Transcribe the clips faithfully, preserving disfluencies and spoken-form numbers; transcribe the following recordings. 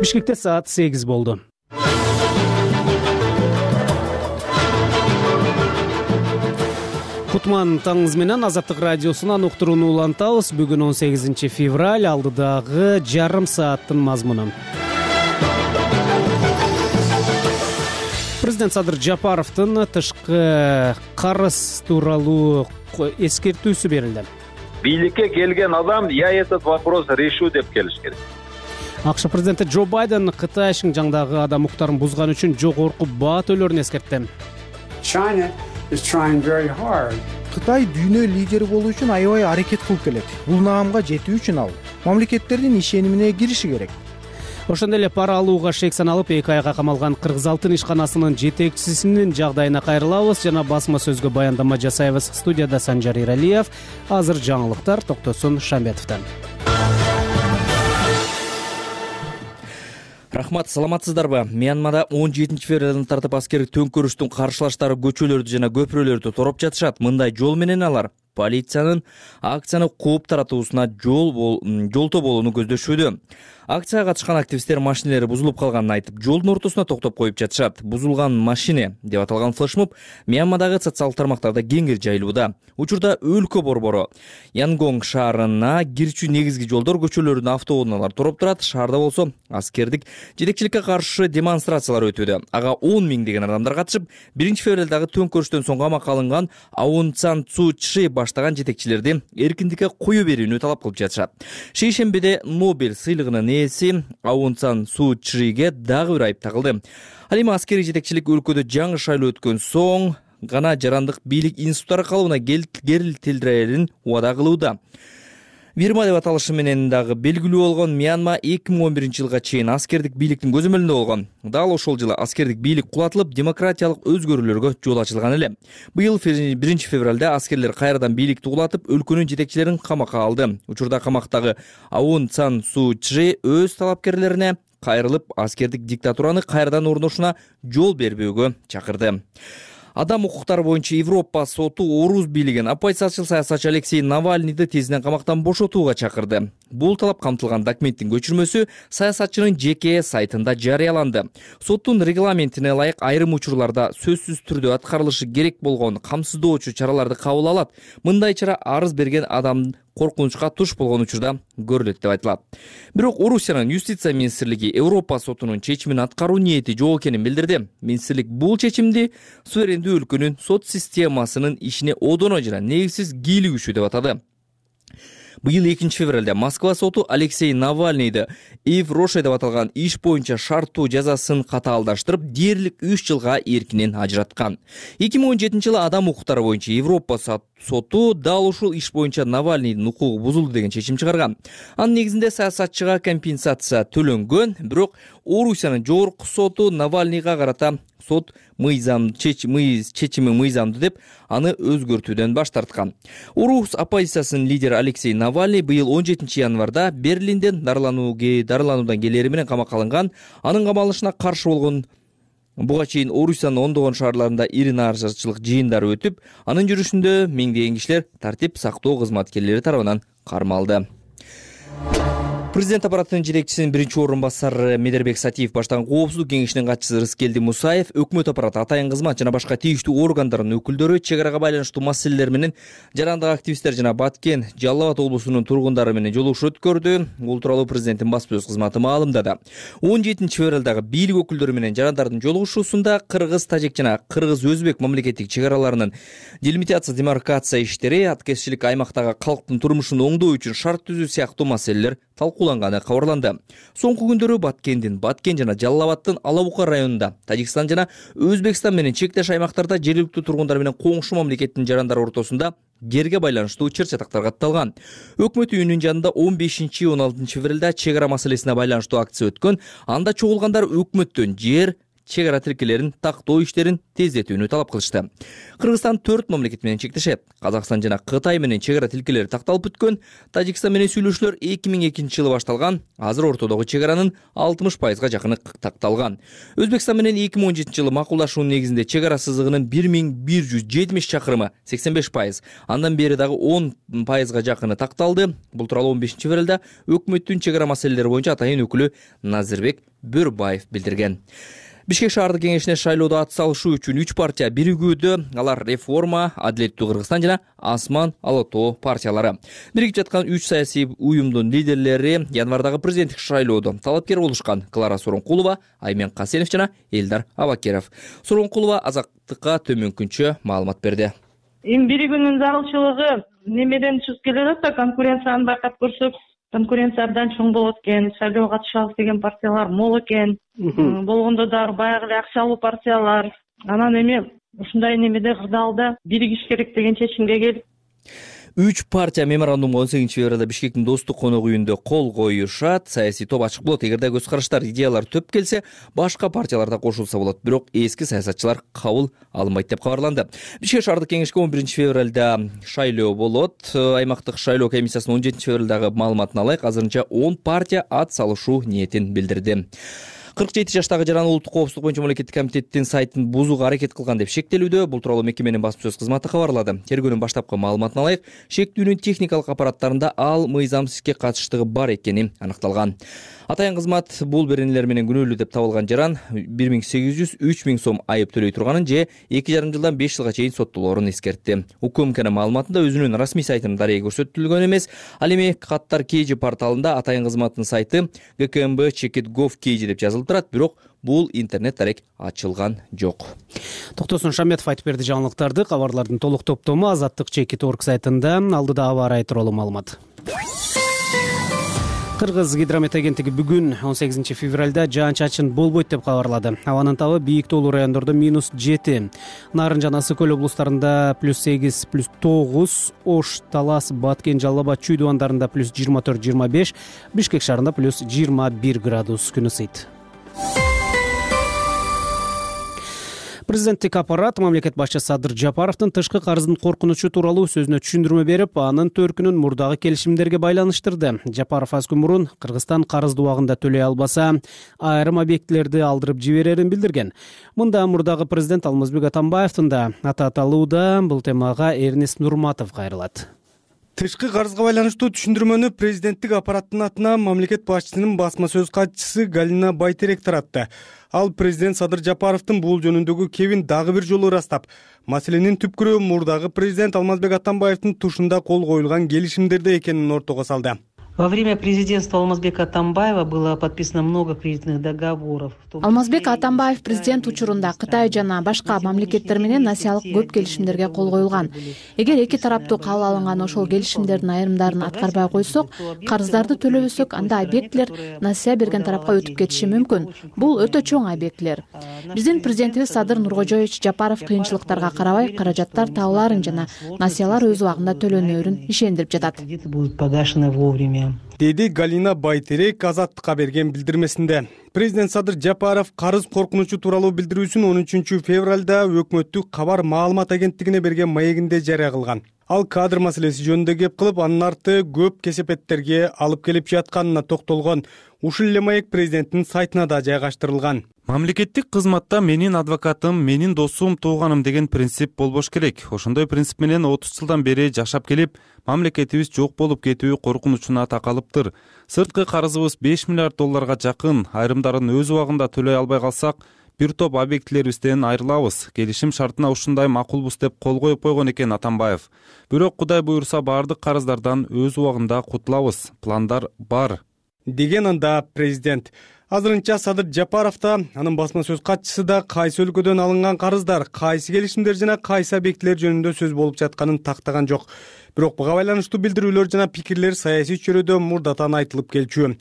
Бишкекте саат сегиз болду. Кутман таңыңыз менен Азаттык радиосунан уктурууну улантабыз. Бүгүн он сегизинчи февраль, алдыдагы жарым сааттын мазмуну. Президент Садыр Жапаровдун тышкы карыз тууралуу эскертүүсү берилди. Бийликке келген адам я этот вопрос решу деп келиш керек. АКШ президенти Джо Байден Кытай Шинжаңдагы адам укуктарын бузган үчүн жогорку баа төлөөрүн эскертти. Кытай дүйнө лидери болуу үчүн аябай аракет кылып келет. Бул наамга жетүү үчүн ал мамлекеттердин ишенимине кириши керек. Ошондой эле пара алууга шек саналып эки айга камалган Кыргыз Алтын ишканасынын жетекчисинин жагдайына кайрылабыз жана басма сөзгө баяндама жасайбыз. Студияда Санжар Иралиев. Азыр жаңылыктар Токтосун Шамбетовдон. Рахмат, саламатсыздарбы? Мьянмада он жетинчи февралдан тартып аскердик төңкөрүштүн каршылаштары көчөлөрдү жана көпүрөлөрдү тороп жатышат. Мындай жол менен алар полициянын акцияны кууп таратуусуна жол жолтоо болууну көздөшүүдө. Акцияга катышкан активисттер машиналары бузулуп калганын айтып, жолдун ортосуна токтоп коюп жатышат. Бузулган машина деп аталган флешмоб Мьянмадагы социалдык тармактарда кеңири жайылууда. Учурда өлкө борбору Янгонг шаарына кирчү негизги жолдор, көчөлөрдүн автоунаалар тороп турат. Шаарда болсо аскердик жетекчиликке каршы демонстрациялар өтүүдө. Ага он миңдеген адамдар катышып, биринчи февралдагы төңкөрүштөн соң камакка алынган Аун Сан Су Чжи баштаган жетекчилерди эркиндикке кое берүүнү талап кылып жатышат. Шейшембиде Нобель сыйлыгынын ээси Аун Сан Су Чжиге дагы бир айып тагылды. Ал эми аскерий жетекчилик өлкөдө жаңы шайлоо өткөн соң гана жарандык бийлик институттары калыбына келтирилерин убада кылууда. Бирма деп аталышы менен дагы белгилүү болгон Мьянма эки миң он биринчи жылга чейин аскердик бийликтин көзөмөлүндө болгон. Дал ошол жылы аскердик бийлик кулатылып, демократиялык өзгөрүүлөргө жол ачылган эле. Быйыл биринчи февралда аскерлер кайрадан бийликти кулатып, өлкөнүн жетекчилерин камакка алды. Учурда камактагы Аун Сан Су Чжи өз талапкерлерине кайрылып, аскердик диктатураны кайрадан орношуна жол бербөөгө чакырды. Адам укуктары боюнча Европа соту орус бийлигин оппозициячыл саясатчы Алексей Навальныйды тезинен камактан бошотууга чакырды. Бул талап камтылган документтин көчүрмөсү саясатчынын жеке сайтында жарыяланды. Соттун регламентине ылайык айрым учурларда сөзсүз түрдө аткарылышы керек болгон камсыздоочу чараларды кабыл алат. Мындай чара арыз берген адам коркунучка туш болгон учурда көрүлөт деп айтылат. Бирок Орусиянын юстиция министрлиги Европа сотунун чечимин аткаруу ниети жок экенин билдирди. Министрлик бул чечимди суверендүү өлкөнүн сот системасынын ишине одоно жана негизсиз кийлигишүү деп атады. Быйыл экинчи февралда Москва соту Алексей Навальныйды Ив Роше деп аталган иш боюнча шарттуу жазасын катаалдаштырып, дээрлик үч жылга эркинен ажыраткан. эки миң он жетинчи жылы адам укуктары боюнча Европа соту дал ушул иш боюнча Навальныйдын укугу бузулду деген чечим чыгарган. Анын негизинде саясатчыга компенсация төлөнгөн, бирок Орусиянын жогорку соту Навальныйга карата сот мыйзам чечими мыйзамдуу деп аны өзгөртүүдөн баш тарткан. Орус оппозициясынын лидери Алексей Навальный быйыл он жетинчи январда Берлинден дарылануудан келери менен камакка алынган. Анын камалышына каршы болгон буга чейин Орусиянын ондогон шаарларында ири нааразычылык жыйындары өтүп, анын жүрүшүндө миңдеген кишилер тартип сактоо кызматкерлери тарабынан кармалды. Президент аппаратынын жетекчисинин биринчи орун басары Медербек Сатиев баштаган коопсуздук кеңешинин катчысы Рыскелди Мусаев, өкмөт аппараты, атайын кызмат жана башка тийиштүү органдардын өкүлдөрү чек арага байланыштуу маселелер менен жарандык активисттер жана Баткен, Жалал Абад облусунун тургундары менен жолугушуу өткөрдү. Бул тууралуу президенттин баспасөз кызматы маалымдады. он жетинчи февралдагы бийлик өкүлдөрү менен жарандардын жолугушуусунда кыргыз, тажик жана кыргыз-өзбек мамлекеттик чек араларынын делимитация, демаркация иштери, аткезчилик, аймактагы калктын турмушун оңдоо үчүн шарт түзүү сыяктуу маселелер талкууланганы кабарланды. Соңку күндөрү Баткендин, Баткен жана Жалал Абадтын Алабука районунда, Тажикстан жана Өзбекстан менен чектеш аймактарда жергиликтүү тургундар менен коңшу мамлекеттин жарандары ортосунда жерге байланыштуу чыр-чатактар катталган. Өкмөт үйүнүн жанында он бешинчи он алтынчы февралда чек ара маселесине байланыштуу акция өткөн. Анда чогулгандар өкмөттөн жер, чек ара тилкелерин тактоо иштерин тездетүүнү талап кылышты. Кыргызстан төрт мамлекет менен чектешет. Казакстан жана Кытай менен чек ара тилкелери такталып бүткөн. Тажикстан менен сүйлөшүүлөр эки миң экинчи жылы башталган. Азыр ортодогу чек аранын алтымыш пайызга жакыны такталган. Өзбекстан менен эки миң он жетинчи жылы макулдашуунун негизинде чек ара сызыгынын бир миң бир жүз жетимиш чакырымы сексен беш пайыз, андан бери дагы он пайызга жакыны такталды. Бул тууралуу он бешинчи февралда өкмөттүн чек ара маселелери боюнча атайын өкүлү Назирбек Бөрбаев билдирген. Бишкек шаардык кеңешине шайлоодо ат салышуу үчүн үч партия биригүүдө. Алар Реформа, Адилеттүү Кыргызстан жана Асман Ала Тоо партиялары. Биригип жаткан үч саясий уюмдун лидерлери январдагы президенттик шайлоодо талапкер болушкан. Клара Сооронкулова, Аймен Касенов жана Элдар Абакеров. Сооронкулова Азаттыкка төмөнкүнчө маалымат берди. Эми биригүүнүн зарылчылыгы немеден чыгып келет да, конкуренцияны байкап көрсөк, конкуренция абдан чоң болот экен, шайлоого катышабыз деген партиялар мол экен. Болгондо дагы баягы эле акчалуу партиялар. Анан эми ушундай немеде кырдаалда биригиш керек деген чечимге келип, Үч партия меморандумга он сегизинчи февралда Бишкектин Достук конок үйүндө кол коюшат. Саясий топ ачык болот. Эгерде көз караштар, идеялар төп келсе, башка партиялар да кошулса болот. Бирок эски саясатчылар кабыл алынбайт деп кабарланды. Бишкек шаардык кеңешке он биринчи февралда шайлоо болот. Аймактык шайлоо комиссиясынын он жетинчи февралдагы маалыматына ылайык, азырынча он партия ат салышуу ниетин билдирди. кырк жети жаштагы жаран улуттук коопсуздук боюнча мамлекеттик комитеттин сайтын бузууга аракет кылган деп шектелүүдө. Бул тууралуу мекеменин басма сөз кызматы кабарлады. Тергөөнүн баштапкы маалыматына ылайык, шектүүнүн техникалык аппараттарында ал мыйзамсыз ишке катыштыгы бар экени аныкталган. Атайын кызмат бул беренелер менен күнөөлүү деп табылган жаран бир миң сегиз жүз үч миң сом айып төлөй турганын же эки жарым жылдан беш жылга чейин соттолоорун эскертти. УКМКнын маалыматында өзүнүн расмий сайтынын дарегі көрсөтүлгөн эмес. Ал эми Каттар Кейжи порталында атайын кызматтын сайты гэ ка эм бэ чекит гов кейжи деп жазылып турат, бирок бул интернет дарек ачылган жок. Токтосун Шаметов айтып берди жаңылыктарды. Кабарлардын толук топтому Азаттык чекит точка орг сайтында. Алдыда аба ырайы тууралуу маалымат. Кыргыз гидромет агенттиги бүгүн он сегизинчи февралда жаан-чачын болбойт деп кабарлады. Абанын табы бийик тоолуу райондордо минус жети, Нарын жана Ысык көл облустарында плюс сегиз, плюс тогуз, Ош, Талас, Баткен, Жалал Абад, Чүй дубандарында плюс жыйырма төрт, жыйырма беш, Бишкек шаарында плюс жыйырма бир градус күн ысыйт. Президенттик аппарат мамлекет башчысы Садыр Жапаровдун тышкы карыздын коркунучу тууралуу сөзүнө түшүндүрмө берип, анын төркүнүн мурдагы келишимдерге байланыштырды. Жапаров аз күн мурун Кыргызстан карызды убагында төлөй албаса, айрым объектилерди алдырып жиберерин билдирген. Мында мурдагы президент Алмазбек Атамбаевдин да аты аталууда. Бул темага Эрнест Нурматов кайрылат. Тышкы карызга байланыштуу түшүндүрмөнү президенттик аппараттын атына мамлекет башчысынын басма сөз катчысы Галина Байтерек таратты. Ал президент Садыр Жапаровдун бул жөнүндөгү кебин дагы бир жолу ырастап, маселенин түпкүрү мурдагы президент Алмазбек Атамбаевдин тушунда кол коюлган келишимдерде экенин ортого салды. Во время президентства Алмазбека Атамбаева было подписано много кредитных договоров. Алмазбек Атамбаев президент учурунда Кытай жана башка мамлекеттер менен насиялык көп келишимдерге кол коюлган. Эгер эки тараптуу кабыл алынган ошол келишимдердин айрымдарын аткарбай койсок, карыздарды төлөбөсөк, анда объектилер насия берген тарапка өтүп кетиши мүмкүн. Бул өтө чоң объектилер. Биздин президентибиз Садыр Нуркожоевич Жапаров кыйынчылыктарга карабай каражаттар табыларын жана насиялар өз убагында төлөнөөрүн ишендирип жатат. Будут погашены вовремя. Деди Галина Байтерек Азаттыкка берген билдирмесинде. Президент Садыр Жапаров карыз коркунучу тууралуу билдирүүсүн он үчүнчү февралда өкмөттүк кабар маалымат агенттигине берген маегинде жарыя кылган. Ал кадр маселеси жөнүндө кеп кылып, анын арты көп кесепеттерге алып келип жатканына токтолгон. Ушул эле маек президенттин сайтына да жайгаштырылган. Мамлекеттик кызматта менин адвокатым, менин досум, тууганым деген принцип болбош керек. Ошондой принцип менен отуз жылдан бери жашап келип, мамлекетибиз жок болуп кетүү коркунучуна такалыптыр. Сырткы карызыбыз беш миллиард долларга жакын, айрымдарын өз убагында төлөй албай калсак, бир топ объектилерибизден айрылабыз. Келишим шартына ушундай макулбуз деп кол коюп койгон экен Атамбаев. Бирок Кудай буйрса бардык карыздардан өз убагында кутулабыз. Пландар бар, деген анда президент. Азырынча Садыр Жапаров да, анын басма сөз катчысы да кайсы өлкөдөн алынган карыздар, кайсы келишимдер жана кайсы объектилер жөнүндө сөз болуп жатканын тактаган жок. Бирок буга байланыштуу билдирүүлөр жана пикирлер саясий чөйрөдө мурдатан айтылып келчү.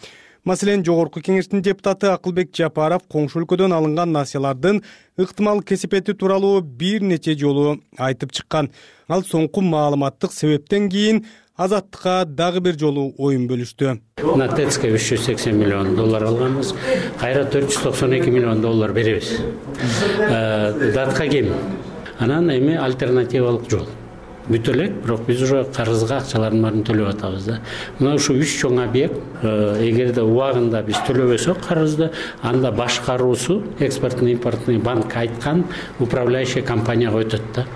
Маселен, Жогорку кеңештин депутаты Акылбек Жапаров коңшу өлкөдөн алынган насиялардын ыктымал кесепети тууралуу бир нече жолу айтып чыккан. Ал соңку маалыматтык себептен кийин Азаттыкка дагы бир жолу оюн бөлүштү. На тэцке үч жүз сексен миллион доллар алганбыз. Кайра төрт жүз токсон эки миллион доллар беребиз. Датка кем. Анан эми альтернативалык жол. Бүтө элек, бирок биз уже карызга акчалардын баарын төлөп атабыз да. Мына ушу үч чоң объект, эгерде убагында биз төлөбөсөк карызды, анда башкаруусу экспортный импортный банк айткан управляющий компанияга өтөт да.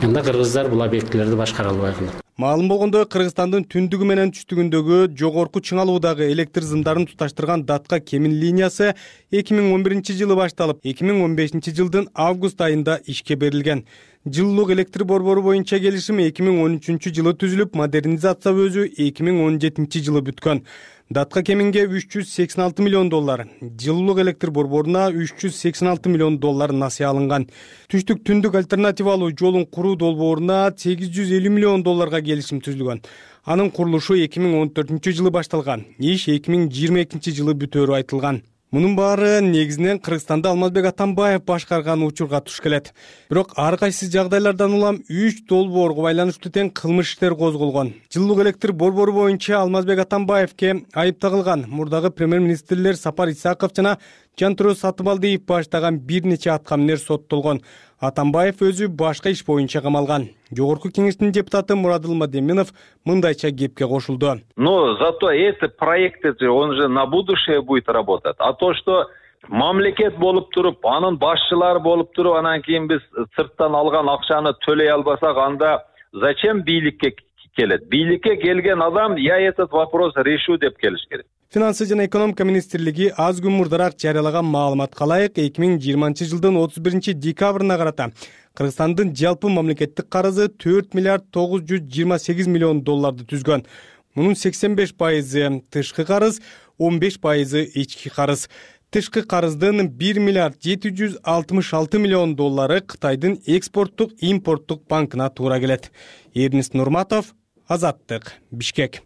Анда кыргыздар бул объектилерди башкара албай калат. Маалым болгондой, Кыргызстандын түндүгү менен түштүгүндөгү жогорку чыңалуудагы электр зымдарын туташтырган Датка Кемин линиясы эки миң он биринчи жылы башталып, эки миң он бешинчи жылдын август айында ишке берилген. Жылуулук электр борбору боюнча келишим эки миң он үчүнчү жылы түзүлүп, модернизация өзү эки миң он жетинчи жылы бүткөн. Датка Кеминге үч жүз сексен алты миллион доллар, жылуулук электр борборуна үч жүз сексен алты миллион доллар насыя алынган. Түштүк түндүк альтернативалуу жолун куруу долбооруна сегиз жүз элүү миллион долларга келишим түзүлгөн. Анын курулушу эки миң он төртүнчү жылы башталган. Иш эки миң жыйырма экинчи жылы бүтөөрү айтылган. Мунун баары негизинен Кыргызстанды Алмазбек Атамбаев башкарган учурга туш келет. Бирок ар кайсы жагдайлардан улам үч долбоорго байланыштуу тең кылмыш иштер козголгон. Жылуулук электр борбору боюнча Алмазбек Атамбаевке айып тагылган мурдагы премьер-министрлер Сапар Исаков жана Жантүрө Сатыбалдиев баштаган бир нече аткаминер соттолгон. Атамбаев өзү башка иш боюнча камалган. Жогорку кеңештин депутаты Мурадыл Мадеминов мындайча кепке кошулду. Но зато эти проекты, он же на будущее будет работать. А то, что мамлекет болуп туруп, анын башчылары болуп туруп, анан кийин биз сырттан алган акчаны төлөй албасак, анда зачем бийликке келет? Бийликке келген адам я этот вопрос решу деп келиш керек. Финансы жана экономика министрлиги аз күн мурдараак жарыялаган маалыматка ылайык эки миң жыйырманчы жылдын отуз биринчи декабрына карата Кыргызстандын жалпы мамлекеттик карызы төрт миллиард тогуз жүз жыйырма сегиз миллион долларды түзгөн. Мунун сексен беш пайызы тышкы карыз, он беш пайызы ички карыз. Тышкы карыздын бир миллиард жети жүз алтымыш алты миллион доллары Кытайдын экспорттук импорттук банкына туура келет. Эрнис Нурматов, Азаттык, Бишкек.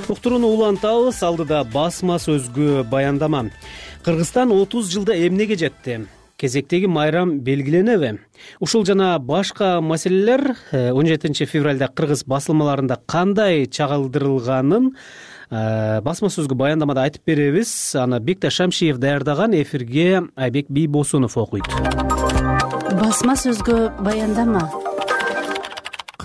Уктурууну улантабыз, алдыда басма сөзгө баяндама. Кыргызстан отуз жылда эмнеге жетти? Кезектеги майрам белгиленеби? Ушул жана башка маселелер он жетинчи февралда кыргыз басылмаларында кандай чагылдырылганын басма сөзгө баяндамада айтып беребиз. Аны Бекташ Шамшиев даярдаган, эфирге Айбек Бийбосунов окуйт. Басма сөзгө баяндама.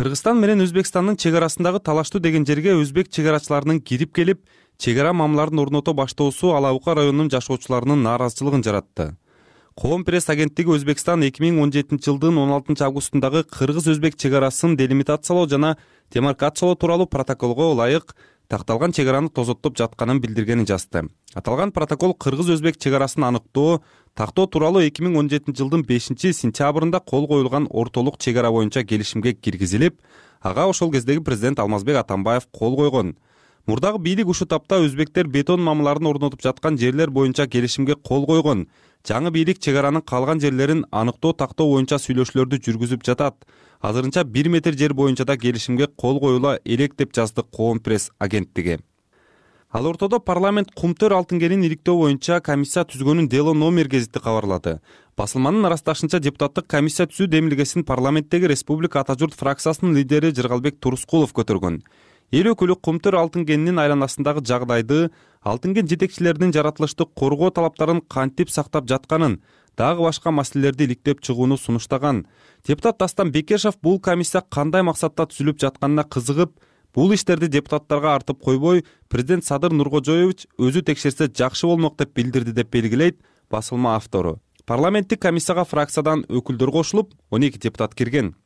Кыргызстан менен Өзбекстандын чек арасындагы талаштуу деген жерге өзбек чек арачыларынын кирип келип, чек ара мамларын орното баштоосу Ала Бука районунун жашоочуларынын нааразычылыгын жаратты. Коом пресс агенттиги Өзбекстан эки миң он жетинчи жылдын он алтынчы августундагы кыргыз-өзбек чек арасын делимитациялоо жана демаркациялоо тууралуу протоколго ылайык такталган чек араны тозоттоп жатканын билдиргенин жазды. Аталган протокол кыргыз-өзбек чек арасын аныктоо, тактоо тууралуу эки миң он жетинчи жылдын бешинчи сентябрында кол коюлган ортолук чек ара боюнча келишимге киргизилип, ага ошол кездеги президент Алмазбек Атамбаев кол койгон. Мурдагы бийлик ушул тапта өзбектер бетон мамларын орнотуп жаткан жерлер боюнча келишимге кол койгон. Жаңы бийлик чек аранын калган жерлерин аныктоо тактоо боюнча сүйлөшүүлөрдү жүргүзүп жатат. Азырынча бир метр жер боюнча да келишимге кол коюла элек деп жазды Коом пресс агенттиги. Ал ортодо парламент Кумтөр Алтынгенин иликтөө боюнча комиссия түзгөнүн дело номер гезити кабарлады. Басылманын арасташынча депутаттык комиссия түзүү демилгесин парламенттеги Республика Ата журт фракциясынын лидери Жыргалбек Турускулов көтөргөн. Эл өкүлү Кумтөр Алтынгенинин айланасындагы жагдайды, Алтынген жетекчилеринин жаратылыштык коргоо талаптарын кантип сактап жатканын, дагы башка маселелерди иликтеп чыгууну сунуштаган. Депутат Дастан Бекешев бул комиссия кандай максатта түзүлүп жатканына кызыгып, бул иштерди депутаттарга артып койбой, президент Садыр Нуркожоевич өзү текшерсе жакшы болмок деп билдирди деп белгилейт басылма автору. Парламенттик комиссияга фракциядан өкүлдөр кошулуп, он эки депутат кирген.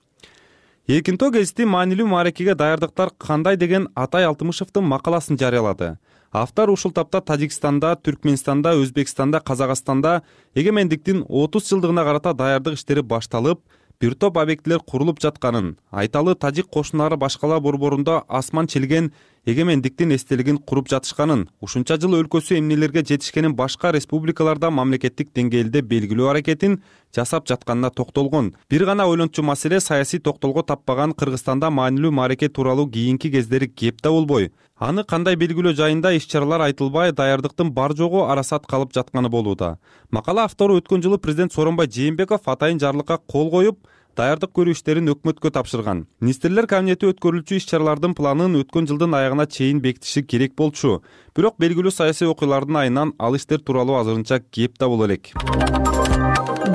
Эркинтоо гезити маанилүү мааракеге даярдыктар кандай деген Атай Алтымышевдин макаласын жарыялады. Автор ушул тапта Тажикстанда, Түркмөнстанда, Өзбекстанда, Казакстанда эгемендиктин отуз жылдыгына карата даярдык иштери башталып, бир топ объектилер курулуп жатканын, айталы тажик кошуналары башкалар борборунда асман челген эгемендиктин эстелигин куруп жатышканын, ушунча жыл өлкөсү эмнелерге жетишкенин башка республикаларда мамлекеттик деңгээлде белгилөө аракетин жасап жатканына токтолгон. Бир гана ойлончу маселе саясий токтолго таппаган Кыргызстанда маанилүү маареке тууралуу кийинки кездери кеп да болбой, аны кандай белгилөө жайында иш-чаралар айтылбай, даярдыктын бар жогу арасат калып жатканы болууда. Макала автору өткөн жылы президент Сооронбай Жээнбеков атайын жарлыкка кол коюп, даярдык көрүү иштерин өкмөткө тапшырган. Министрлер кабинети өткөрүлчү иш-чаралардын планын өткөн жылдын аягына чейин бекитиши керек болчу. Бирок белгилүү саясий окуялардын айынан ал иштер тууралуу азырынча кеп да боло элек.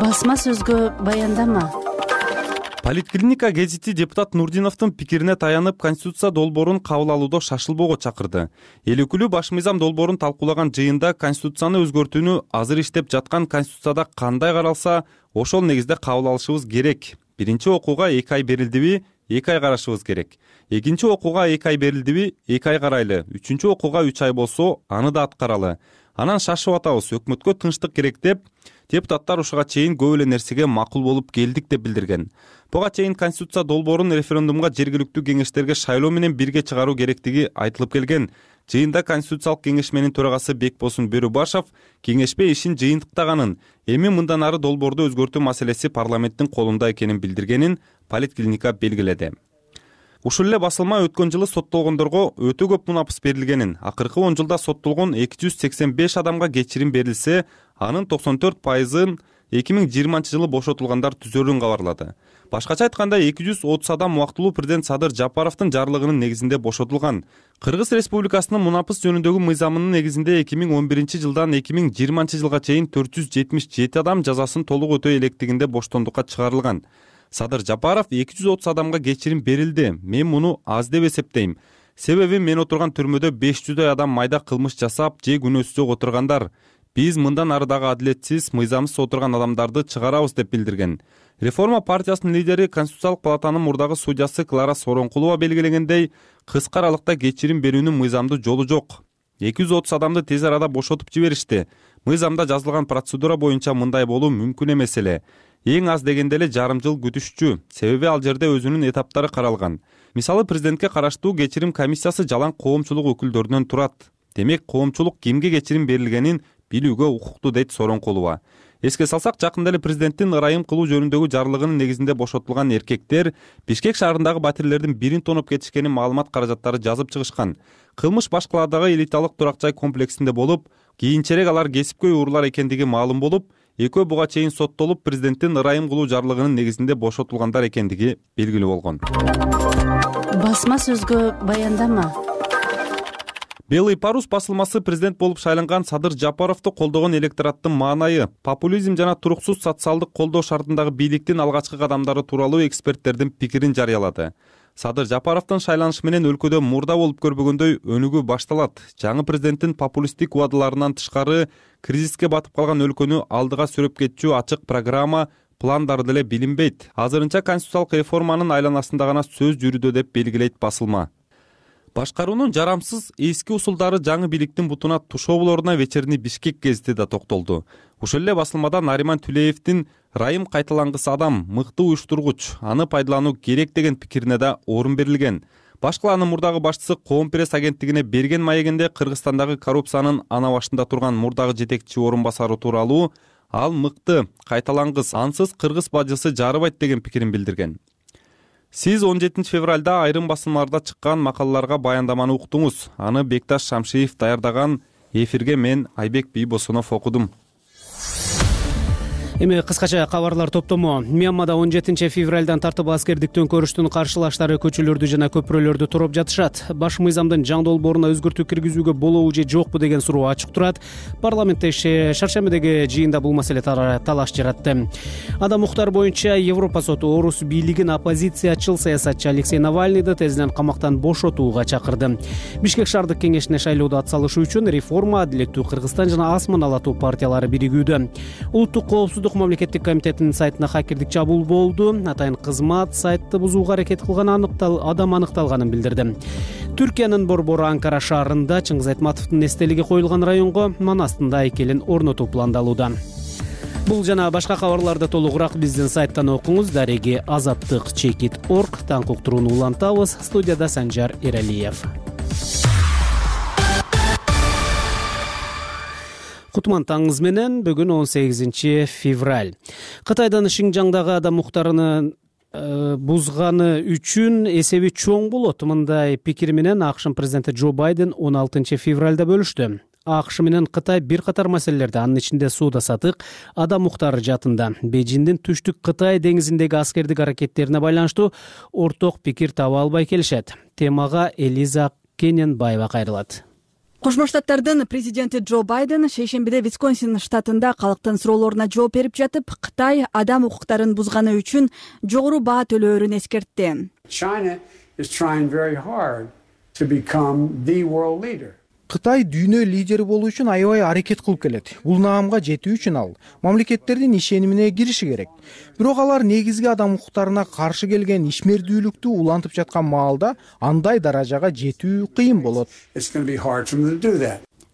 Басма сөзгө баяндама. Политклиника гезити депутат Нурдиновдун пикирине таянып, Конституция долбоорун кабыл алууда шашылбоого чакырды. Эл өкүлү баш мыйзам долбоорун талкуулаган жыйында Конституцияны өзгөртүүнү азыр иштеп жаткан Конституцияда кандай каралса, ошол негизде кабыл алышыбыз керек. Биринчи окууга эки ай берилдиби, эки ай карашыбыз керек. Экинчи окууга эки ай берилдиби, эки ай карайлы. Үчүнчү окууга үч ай болсо, аны да аткаралы. Анан шашып атабыз, өкмөткө тынчтык керек деп, депутаттар ушуга чейин көп эле нерсеге макул болуп келдик деп билдирген. Буга чейин Конституция долбоорун референдумга жергиликтүү кеңештерге шайлоо менен бирге чыгаруу керектиги айтылып келген. Жыйында Конституциялык кеңешменин төрагасы Бекбосун Бөрүбашев кеңешпе ишин жыйынтыктаганын, эми мындан ары долбоорду өзгөртүү маселеси парламенттин колунда экенин билдиргенин Политклиника белгиледи. Ушул эле басылма өткөн жылы соттолгондорго өтө көп мунапыс берилгенин, акыркы он жылда соттолгон эки жүз сексен беш адамга кечирим берилсе, анын токсон төрт пайызын эки миң жыйырманчы жылы бошотулгандар түзөрүн кабарлады. Башкача айтканда эки жүз отуз адам убактылуу президент Садыр Жапаровдун жарлыгынын негизинде бошотулган. Кыргыз Республикасынын мунапыс жөнүндөгү мыйзамынын негизинде эки миң он биринчи жылдан эки миң жыйырманчы жылга чейин төрт жүз жетимиш жети адам жазасын толук өтөй электигинде боштондукка чыгарылган. Садыр Жапаров эки жүз отуз адамга кечирим берилди. Мен муну аз деп эсептейм. Себеби мен отурган түрмөдө беш жүздөй адам майда кылмыш жасап, же күнөөсү жок отургандар. Биз мындан ары дагы адилетсиз, мыйзамсыз отурган адамдарды чыгарабыз деп билдирген. Реформа партиясынын лидери Конституциялык палатанын мурдагы судьясы Клара Сооронкулова белгилегендей, кыска аралыкта кечирим берүүнүн мыйзамдуу жолу жок. эки жүз отуз адамды тез арада бошотуп жиберишти. Мыйзамда жазылган процедура боюнча мындай болуу мүмкүн эмес эле. Эң аз дегенде эле жарым жыл күтүшчү, себеби ал жерде өзүнүн этаптары каралган. Мисалы, президентке караштуу кечирим комиссиясы жалаң коомчулук өкүлдөрүнөн турат. Демек, коомчулук кимге кечирим берилгенин билүүгө укуктуу, дейт Сооронкулова. Эске салсак, жакында эле президенттин ырайым кылуу жөнүндөгү жарлыгынын негизинде бошотулган эркектер Бишкек шаарындагы батирлердин бирин тоноп кетишкенин маалымат каражаттары жазып чыгышкан. Кылмыш башкаладагы элиталык турак жай комплексинде болуп, кийинчерээк алар кесипкөй уруулар экендиги маалым болуп, экөө буга чейин соттолуп, президенттин ырайым кылуу жарлыгынын негизинде бошотулгандар экендиги белгилүү болгон. Басма сөзгө баяндама. Белый парус басылмасы президент болуп шайланган Садыр Жапаровду колдогон электораттын маанайы, популизм жана туруксуз социалдык колдоо шартындагы бийликтин алгачкы кадамдары тууралуу эксперттердин пикирин жарыялады. Садыр Жапаровдун шайланышы менен өлкөдө мурда болуп көрбөгөндөй өнүгүү башталат. Жаңы президенттин популисттик убадаларынан тышкары кризиске батып калган өлкөнү алдыга сүрөп кетчү ачык программа, пландары деле билинбейт. Азырынча конституциялык реформанын айланасында гана сөз жүрүүдө деп белгилейт басылма. Башкаруунун жарамсыз эски усулдары жаңы бийликтин бутуна тушоо болоруна вечерний Бишкек гезити да токтолду. Ушул эле басылмада Нариман Түлеевдин райым кайталангыс адам, мыкты уюштургуч, аны пайдалануу керек деген пикирине да орун берилген. Башкаланын мурдагы башчысы Коом пресс агенттигине берген маегинде Кыргызстандагы коррупциянын ана башында турган мурдагы жетекчи орун басары тууралуу ал мыкты, кайталангыс, ансыз кыргыз бажысы жарыбайт деген пикирин билдирген. Сиз он жетинчи февралда айрым басылмаларда чыккан макалаларга баяндаманы уктуңуз. Аны Бекташ Шамшиев даярдаган. Эфирге мен Айбек Бийбосунов окудум. Эми кыскача кабарлар топтому. Мьянмада он жетинчи февралдан тартып аскердик төңкөрүштүн каршылаштары көчөлөрдү жана көпүрөлөрдү туруп жатышат. Баш мыйзамдын жаңы долбооруна өзгөртүү киргизүүгө болобу же жокпу деген суроо ачык турат. Парламентте шаршембидеги жыйында бул маселе талаш жаратты. Адам укуктары боюнча Европа соту орус бийлигин оппозициячыл саясатчы Алексей Навальныйды тезинен камактан бошотууга чакырды. Бишкек шаардык кеңешине шайлоодо атсалышуу үчүн Реформа, Адилеттүү Кыргызстан жана Асман алатуу партиялары биригүүдө. Улуттук коопсуздук мамлекеттик комитетинин сайтына хакердик чабуул болду. Атайын кызмат сайтты бузууга аракет кылган аныктал адам аныкталганын билдирди. Түркиянын борбору Анкара шаарында Чыңгыз Айтматовдун эстелиги коюлган районго манастында айкелин орнотуу пландалууда. Бул жана башка кабарларды толугураак биздин сайттан окуңуз. Дареги азаттык чекит точка орг. Таң уктурууну улантабыз. Студияда Санжар Эралиев. Кутман таңыңыз менен. Бүгүн он сегизинчи февраль. Кытайдын Шинжаңдагы адам укуктарын бузганы үчүн эсеби чоң болот. Мындай пикир менен АКШ президенти Джо Байден он алтынчы февралда бөлүштү. АКШ менен Кытай бир катар маселелерде, анын ичинде сууда сатык, адам укуктары жаатында Бейжиңдин түштүк Кытай деңизиндеги аскердик аракеттерине байланыштуу орток пикир таба албай келишет. Темага Элиза Кененбаева кайрылат. Кошмо Штаттардын президенти Джо Байден шейшембиде Висконсин штатында калктын суроолоруна жооп берип жатып, Кытай адам укуктарын бузганы үчүн жогору баа төлөөрүн эскертти. Кытай дүйнө лидери болуу үчүн аябай аракет кылып келет. Бул наамга жетүү үчүн ал мамлекеттердин ишенимине кириши керек. Бирок алар негизги адам укуктарына каршы келген ишмердүүлүктү улантып жаткан маалда андай даражага жетүү кыйын болот,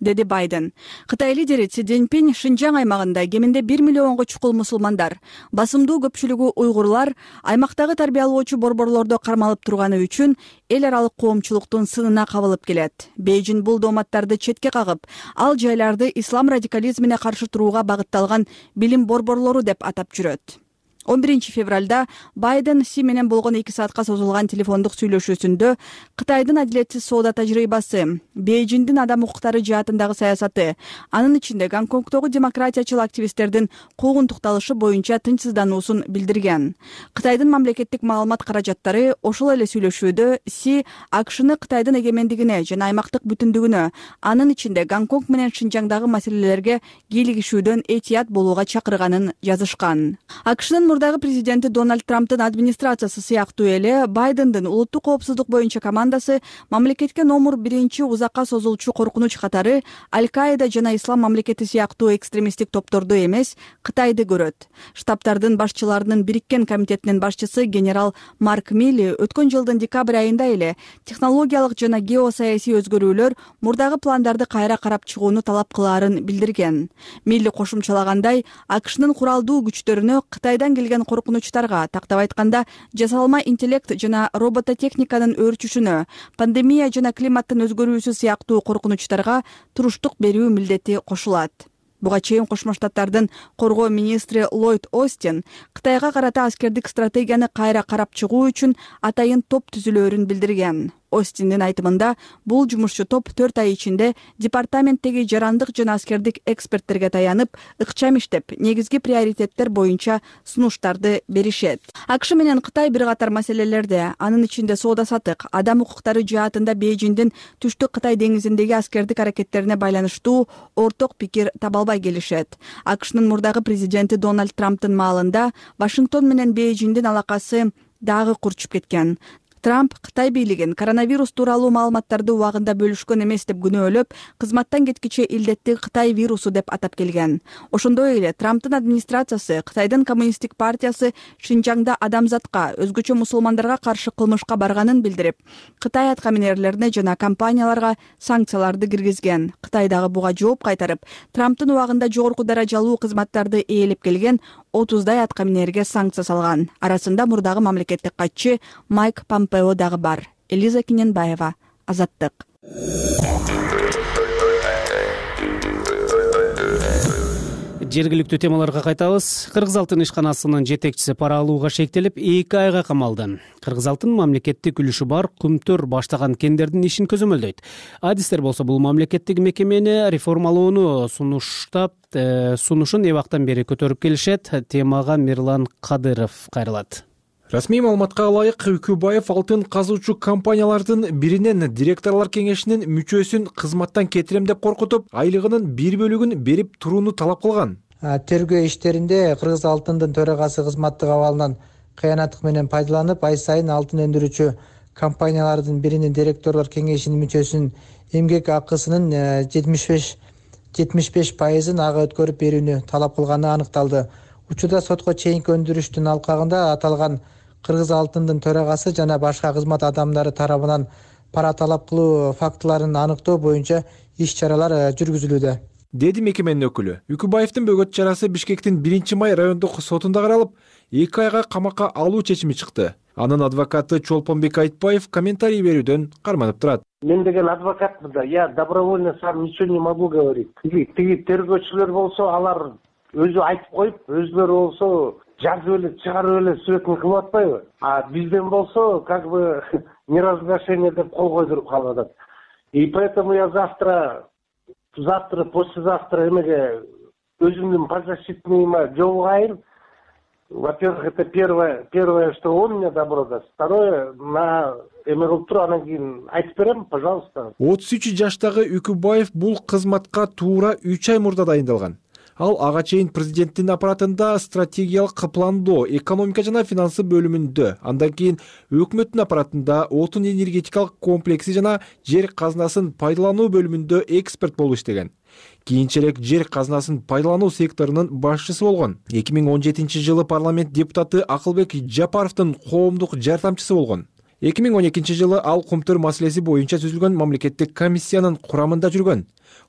деди Байден. Кытай лидери Си Цзиньпин Шинжаң аймагында кеминде бир миллионго чукул мусулмандар, басымдуу көпчүлүгү уйгурлар аймактагы тарбиялоочу борборлордо кармалып турганы үчүн эл аралык коомчулуктун сынына кабылып келет. Бейжиң бул дооматтарды четке кагып, ал жайларды ислам радикализмине каршы турууга багытталган билим борборлору деп атап жүрөт. он биринчи февралда Байден Си менен болгон эки саатка созулган телефондук сүйлөшүүсүндө Кытайдын адилетсиз соода тажрыйбасы, Бейжиңдин адам укуктары жаатындагы саясаты, анын ичинде Гонконгдогу демократиячыл активисттердин куугунтукталышы боюнча тынчсыздануусун билдирген. Кытайдын мамлекеттик маалымат каражаттары ошол эле сүйлөшүүдө Си АКШны Кытайдын эгемендигине жана аймактык бүтүндүгүнө, анын ичинде Гонконг менен Шинжаңдагы маселелерге кийлигишүүдөн этият болууга чакырганын жазышкан. АКШнын мурдагы президенти Дональд Трамптын администрациясы сыяктуу эле Байдендин улуттук коопсуздук боюнча командасы мамлекетке номер биринчи узакка созулчу коркунуч катары Аль-Каида жана Ислам мамлекети сыяктуу экстремисттик топторду эмес, Кытайды көрөт. Штабтардын башчыларынын бириккен комитетинин башчысы генерал Марк Милли өткөн жылдын декабрь айында эле технологиялык жана геосаясий өзгөрүүлөр мурдагы пландарды кайра карап чыгууну талап кылаарын билдирген. Милли кошумчалагандай, АКШнын куралдуу күчтөрүнө Кытайдан келген коркунучтарга, тактап айтканда, жасалма интеллект жана робототехниканын өөрчүшүнө, пандемия жана климаттын өзгөрүүсү сыяктуу коркунучтарга туруштук берүү милдети кошулат. Буга чейин Кошмо Штаттардын коргоо министри Ллойд Остин Кытайга карата аскердик стратегияны кайра карап чыгуу үчүн атайын топ түзүлөөрүн билдирген. Остиндин айтымында, бул жумушчу топ төрт ай ичинде департаменттеги жарандык жана аскердик эксперттерге таянып, ыкчам иштеп, негизги приоритеттер боюнча сунуштарды беришет. АКШ менен Кытай бир катар маселелерде, анын ичинде соода сатык, адам укуктары жаатында Бейжиңдин түштүк Кытай деңизиндеги аскердик аракеттерине байланыштуу орток пикир таба албай келишет. АКШнын мурдагы президенти Дональд Трамптын маалында Вашингтон менен Бейжиңдин алакасы дагы курчуп кеткен. Трамп Кытай бийлигин коронавирус тууралуу маалыматтарды убагында бөлүшкөн эмес деп күнөөлөп, кызматтан кеткиче илдетти Кытай вирусу деп атап келген. Ошондой эле Трамптын администрациясы Кытайдын коммунисттик партиясы Шинжаңда адамзатка, өзгөчө мусулмандарга каршы кылмышка барганын билдирип, Кытай аткаминерлерине жана компанияларга санкцияларды киргизген. Кытай дагы буга жооп кайтарып, Трамптын убагында жогорку даражалуу кызматтарды ээлеп келген отуздай аткаминерге санкция салган. Арасында мурдагы мамлекеттик катчы Майк Помпео дагы бар. Элиза Кененбаева, Азаттык. Жергиликтүү темаларга кайтабыз. Кыргыз алтын ишканасынын жетекчиси пара алууга шектелип, эки айга камалды. Кыргыз алтын мамлекеттик үлүшү бар Кумтөр баштаган кендердин ишин көзөмөлдөйт. Адистер болсо бул мамлекеттик мекемени реформалоону сунуштап, сунушун эбактан бери көтөрүп келишет. Темага Мирлан Кадыров кайрылат. Расмий маалыматка ылайык, Үкүбаев алтын казуучу компаниялардын биринен директорлор кеңешинин мүчөсүн кызматтан кетирем деп коркутуп, айлыгынын бир бөлүгүн берип турууну талап кылган. Тергөө иштеринде Кыргыз алтындын төрагасы кызматтык абалынан кыянаттык менен пайдаланып, ай сайын алтын өндүрүүчү компаниялардын биринин директорлор кеңешинин мүчөсүнүн эмгек акысынын жетимиш беш пайызын ага өткөрүп берүүнү талап кылганы аныкталды. Учурда сотко чейинки өндүрүштүн алкагында аталган Кыргыз алтындын төрагасы жана башка кызмат адамдары тарабынан пара талап кылуу фактыларын аныктоо боюнча иш-чаралар жүргүзүлүүдө, деди мекеменин өкүлү. Үкүбаевдин бөгөт чарасы Бишкектин биринчи май райондук сотунда каралып, эки айга камакка алуу чечими чыкты. Анын адвокаты Чолпонбек Айтбаев комментарий берүүдөн карманып турат. Мен деген адвокатмын да, я добровольно сам ничего не могу говорить. Тиги тергөөчүлөр болсо алар өзү айтып коюп, өзүлөрү болсо жазып эле чыгарып эле сүрөтүн кылып атпайбы? А бизден болсо как бы неразглашение деп кол койдуруп калып атат. И поэтому я завтра, завтра, послезавтра эмеге өзүмдүн подзащитныйыма жолугайын. Во-первых, это первое, первое, что он мне добро даст. Второе, на эме кылып туруп анан кийин айтып берем, пожалуйста. отуз үч жаштагы Үкүбаев бул кызматка туура үч ай мурда дайындалган. Ал ага чейин президенттин аппаратында стратегиялык пландоо, экономика жана финансы бөлүмүндө, андан кийин өкмөттүн аппаратында отун энергетикалык комплекси жана жер казынасын пайдалануу бөлүмүндө эксперт болуп иштеген. Кийинчерээк жер казынасын пайдалануу секторунун башчысы болгон. эки миң он жетинчи жылы парламент депутаты Акылбек Жапаровдун коомдук жардамчысы болгон. эки миң он экинчи жылы ал Кумтөр маселеси боюнча түзүлгөн мамлекеттик комиссиянын курамында жүргөн.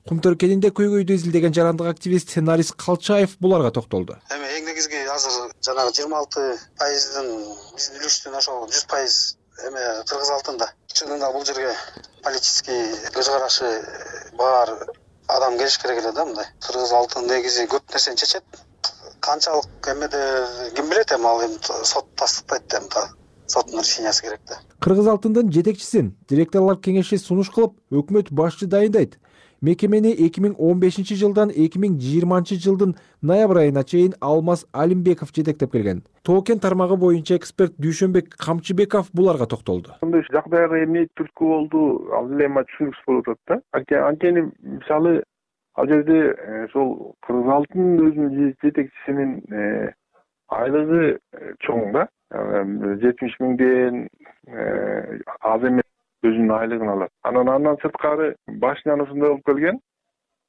Кумтөр кенинде көйгөйдү изилдеген жарандык активист Нарис Калчаев буларга токтолду. Эми эң негизги азыр жанагы жыйырма алты пайыздын биздин үлүштүн ошол жүз пайыз эме Кыргыз алтында. Чынында бул жерге политический көз карашы бар адам келиш керек эле да мындай. Кыргыз алтын негизи көп нерсени чечет. Канчалык эмеде ким билет эми ал эми сот тастыктайт эми да. Соттун решениясы керек да. Кыргыз алтындын жетекчисин директорлор кеңеши сунуш кылып, өкмөт башчы дайындайт. Мекемени эки миң он бешинчи жылдан эки миң жыйырманчы жылдын ноябрь айына чейин Алмаз Алимбеков жетектеп келген. Тоо-кен тармагы боюнча эксперт Дүйшөнбек Камчыбеков буларга токтолду. Мындай жагдайга эмне түрткү болду, ал эле эми түшүнүксүз болуп атат да. Анткени мисалы ал жерде ошол Кыргыз алтын өзүнүн жетекчисинин айлыгы чоң да. жетимиш миңден аз эмес өзүнүн айлыгын алат. Анан андан сырткары башынан ушундай болуп келген.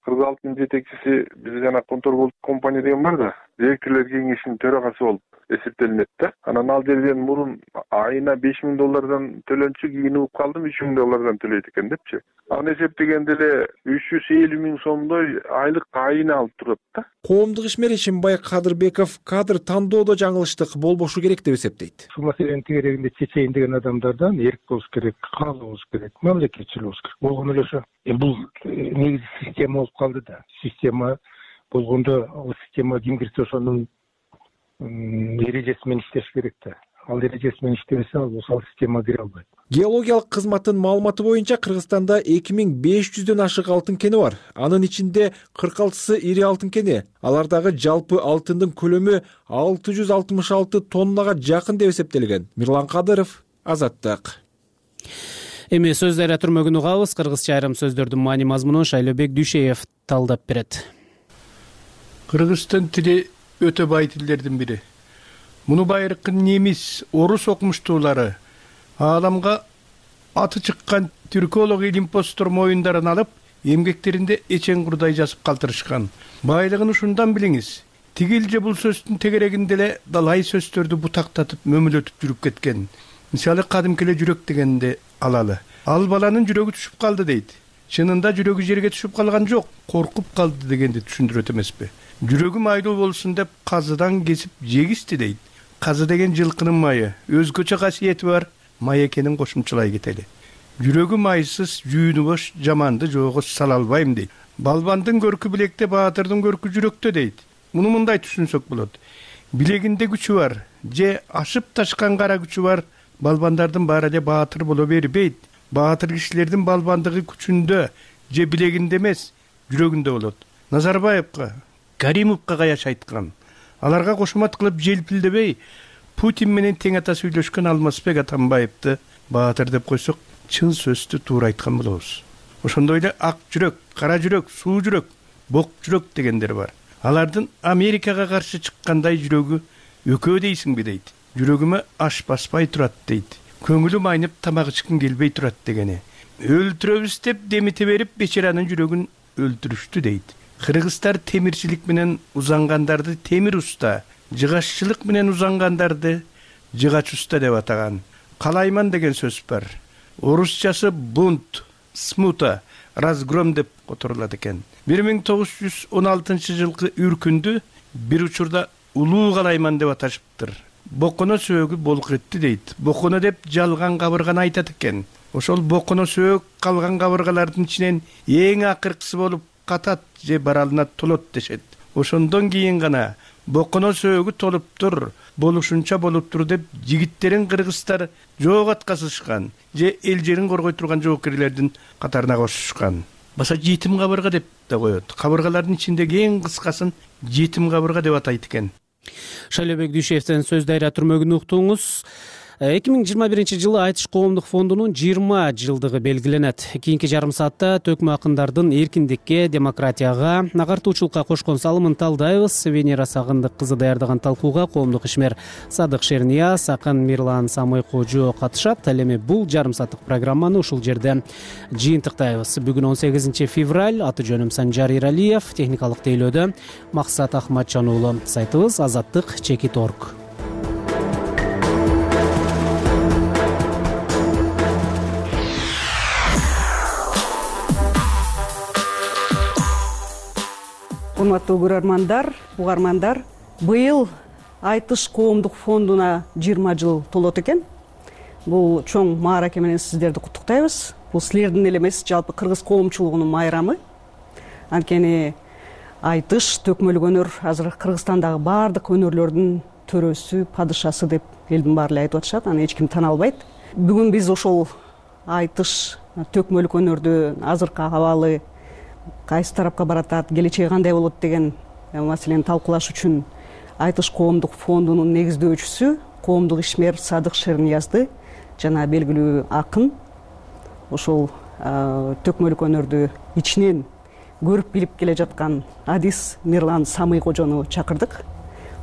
Кыргыз алтын жетекчиси бизде жана Контор компания деген бар да, директорлор кеңешинин төрагасы болуп эсептелинет да. Анан ал жерден мурун айына беш миң доллардан төлөнчү, кийин угуп калдым үч миң доллардан төлөйт экен депчи. Аны эсептегенде эле үч жүз элүү миң сомдой айлык айына алып турат да. Коомдук ишмер Ишимбай Кадырбеков кадр тандоодо жаңылыштык болбошу керек деп эсептейт. Ушул маселенин тегерегинде чечейин деген адамдардан эрк болуш керек, каалоо болуш керек, мамлекетчил болуш керек. Болгону эле ошо. Бул негизи система болуп калды да. Система болгондо ал система ким кирсе ошонун эрежеси менен иштеш керек да. Ал эрежеси менен иштебесе ал ошол системага кире албайт. Геологиялык кызматтын маалыматы боюнча Кыргызстанда эки миң беш жүздөн ашык алтын кени бар. Анын ичинде кырк алтысы ири алтын кени. Алардагы жалпы алтындын көлөмү алты жүз алтымыш алты тоннага жакын деп эсептелген. Мирлан Кадыров, Азаттык. Эми сөз айра түрмөгүн угабыз. Кыргызча айрым сөздөрдүн маани мазмунун Шайлообек Дүйшеев талдап берет. Кыргызстан тили өтө бай тилдердин бири. Муну байыркы немис, орус окумуштуулары ааламга аты чыккан түрколог илимпоздор моюндарын алып, эмгектеринде эчең курдай жазып калтырышкан. Байлыгын ушундан билиңиз. Тигил же бул сөздүн тегерегинде эле далай сөздөрдү бутактатып, мөмөлөтүп жүрүп кеткен. Мисалы кадимки эле жүрөк дегенде алалы. Ал баланын жүрөгү түшүп калды дейт. Чынында жүрөгү жерге түшүп калган жок, коркуп калды дегенди түшүндүрөт эмеспи? Жүрөгү майлуу болсун деп казыдан кесип жегисти дейт. Казы деген жылкынын майы, өзгөчө касиети бар, май экенин кошумчалай кетели. Жүрөгү майсыз, жүүнү бош, жаманды жоого сала албайм дейт. Балбандын көркү билекте, баатырдын көркү жүрөктө дейт. Муну мындай түшүнсөк болот. Билегинде күчү бар, же ашып ташкан кара күчү бар, балбандардын баары эле баатыр боло бербейт. Баатыр кишилердин балбандыгы күчүндө, же билегинде эмес, жүрөгүндө болот. Назарбаевга, Каримовго каяш айткан. Аларга кошумат кылып желпилдебей, Путин менен тең ата сүйлөшкөн Алмазбек Атамбаевди баатыр деп койсок, чын сөздү туура айткан болобуз. Ошондой эле ак жүрөк, кара жүрөк, суу жүрөк, бок жүрөк дегендер бар. Алардын Америкага каршы чыккандай жүрөгү өкөө дейсиңби дейт. Жүрөгүмө аш баспай турат дейт. Көңүлүм айнып тамак ичким келбей турат дегени. Өлтүрөбүз деп демите берип бечаранын жүрөгүн өлтүрүштү дейт. Кыргыздар темирчилик менен узангандарды темир уста, жыгаччылык менен узангандарды жыгач уста деп атаган. Калайман деген сөз бар. Орусчасы бунт, смута, разгром деп которулат экен. бир миң тогуз жүз он алтынчы жылкы үркүндү бир учурда улуу калайман деп аташыптыр. боконо сөөгү болук этти дейт. Боконо деп жалган кабырганы айтат экен. Ошол боконо сөөк калган кабыргалардын ичинен эң акыркысы болуп катат же баралына толот дешет. Ошондон кийин гана боконо сөөгү толуптур, болушунча болуптур деп жигиттерин кыргыздар жоок атказышкан же эл жерин коргой турган жоокерлердин катарына кошушкан. Баса жетим кабырга деп да коет. Кабыргалардын ичиндеги эң кыскасын жетим кабырга деп атайт экен. Шайлообек Дүйшевден сөз дайра түрмөгүн уктуңуз. эки миң жыйырма биринчи жылы Айтыш коомдук фондунун жыйырма жылдыгы белгиленет. Кийинки жарым саатта төкмө акындардын эркиндикке, демократияга, агартуучулукка кошкон салымын талдайбыз. Венера Сагындык кызы даярдаган талкууга коомдук ишмер Садык Шернияз, акын Мирлан Самыйкожо катышат. Ал эми бул жарым сааттык программаны ушул жерде жыйынтыктайбыз. Бүгүн он сегизинчи февраль, аты жөнүм Санжар Иралиев, техникалык тейлөөдө Максат Ахматжан уулу. Сайтыбыз азаттык чекит точка орг. Урматтуу көрөрмандар, угармандар, быйыл Айтыш коомдук фондуна жыйырма жыл толот экен. Бул чоң маараке менен сиздерди куттуктайбыз. Бул силердин эле эмес, жалпы кыргыз коомчулугунун майрамы. Анткени Айтыш төкмөлүк өнөр азыр Кыргызстандагы баардык өнөрлөрдүн төрөсү, падышасы деп элдин баары эле айтып атышат. Аны эч ким тана албайт. Бүгүн биз ошол Айтыш төкмөлүк өнөрдү азыркы абалы кайсы тарапка баратат, келечеги кандай болот деген маселени талкуулаш үчүн Айтыш коомдук фондунун негиздөөчүсү, коомдук ишмер Садык Шерниязды жана белгилүү акын ошол төкмөлүк өнөрдү ичинен көрүп билип келе жаткан адис Мирлан Самыйкожону чакырдык.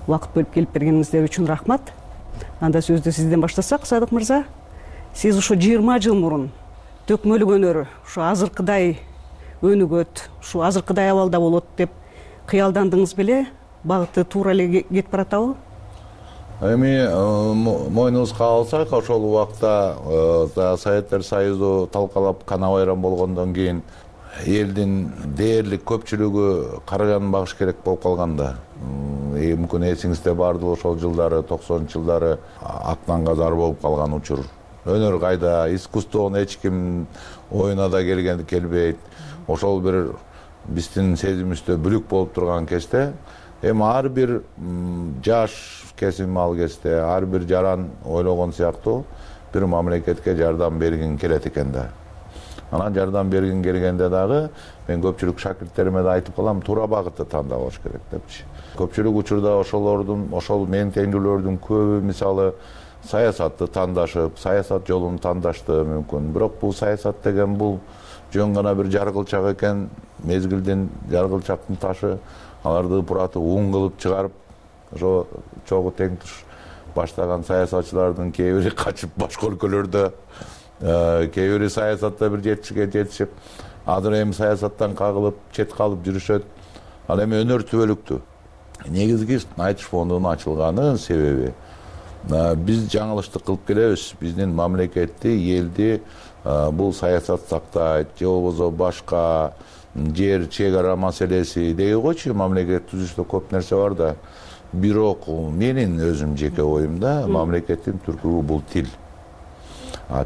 Убакыт бөлүп келип бергениңиздер үчүн рахмат. Анда сөздү сизден баштасак, Садык мырза, сиз ошо жыйырма жыл мурун төкмөлүк өнөрү ушу азыркыдай өнүгөт, ушу азыркыдай абалда болот деп кыялдандыңыз беле? Багыты туура эле кетип баратабы? Эми мойнубузга алсак, ошол убакта Советтер Союзу талкалап кана байрам болгондон кийин элдин дээрлик көпчүлүгү карыганын багыш керек болуп калганда. Мүмкүн эсиңизде бардыр, ошол жылдары, токсонунчу жылдары актанга зар болуп калган учур. Өнөр кайда, искусствону эч ким оюна да келген келбейт. Ошол бир биздин сезимибизде бүлүк болуп турган кезде, эми ар бир жаш кесим ал кезде, ар бир жаран ойлогон сыяктуу бир мамлекетке жардам бергин келет экен да. Анан жардам бергин келгенде дагы мен көпчүлүк шакирттериме да айтып калам, туура багытты тандабаш керек депчи. Көпчүлүк учурда ошолордун, ошол менин теңдүүлөрдүн көбү мисалы саясатты тандашып, саясат жолун тандашты мүмкүн. Бирок бул саясат деген бул жөн гана бир жаргылчак экен, мезгилдин жаргылчактын ташы, аларды буратып ун кылып чыгарып, ошо чогуу тең туш баштаган саясатчылардын кээ бири качып башка өлкөлөрдө, кээ бири саясатта бир жетишке жетишип, азыр эми саясаттан кагылып, чет калып жүрүшөт. Ал эми өнөр түбөлүктүү. Негизги Айтыш фондунун ачылганын себеби биз жаңылыштык кылып келебиз. Биздин мамлекетти, элди бул саясат сактайт, же болбосо башка жер чек ара маселеси дей койчу, мамлекет түзүштө көп нерсе бар да. Бирок менин өзүм жеке оюмда мамлекеттин түркүгү бул тил.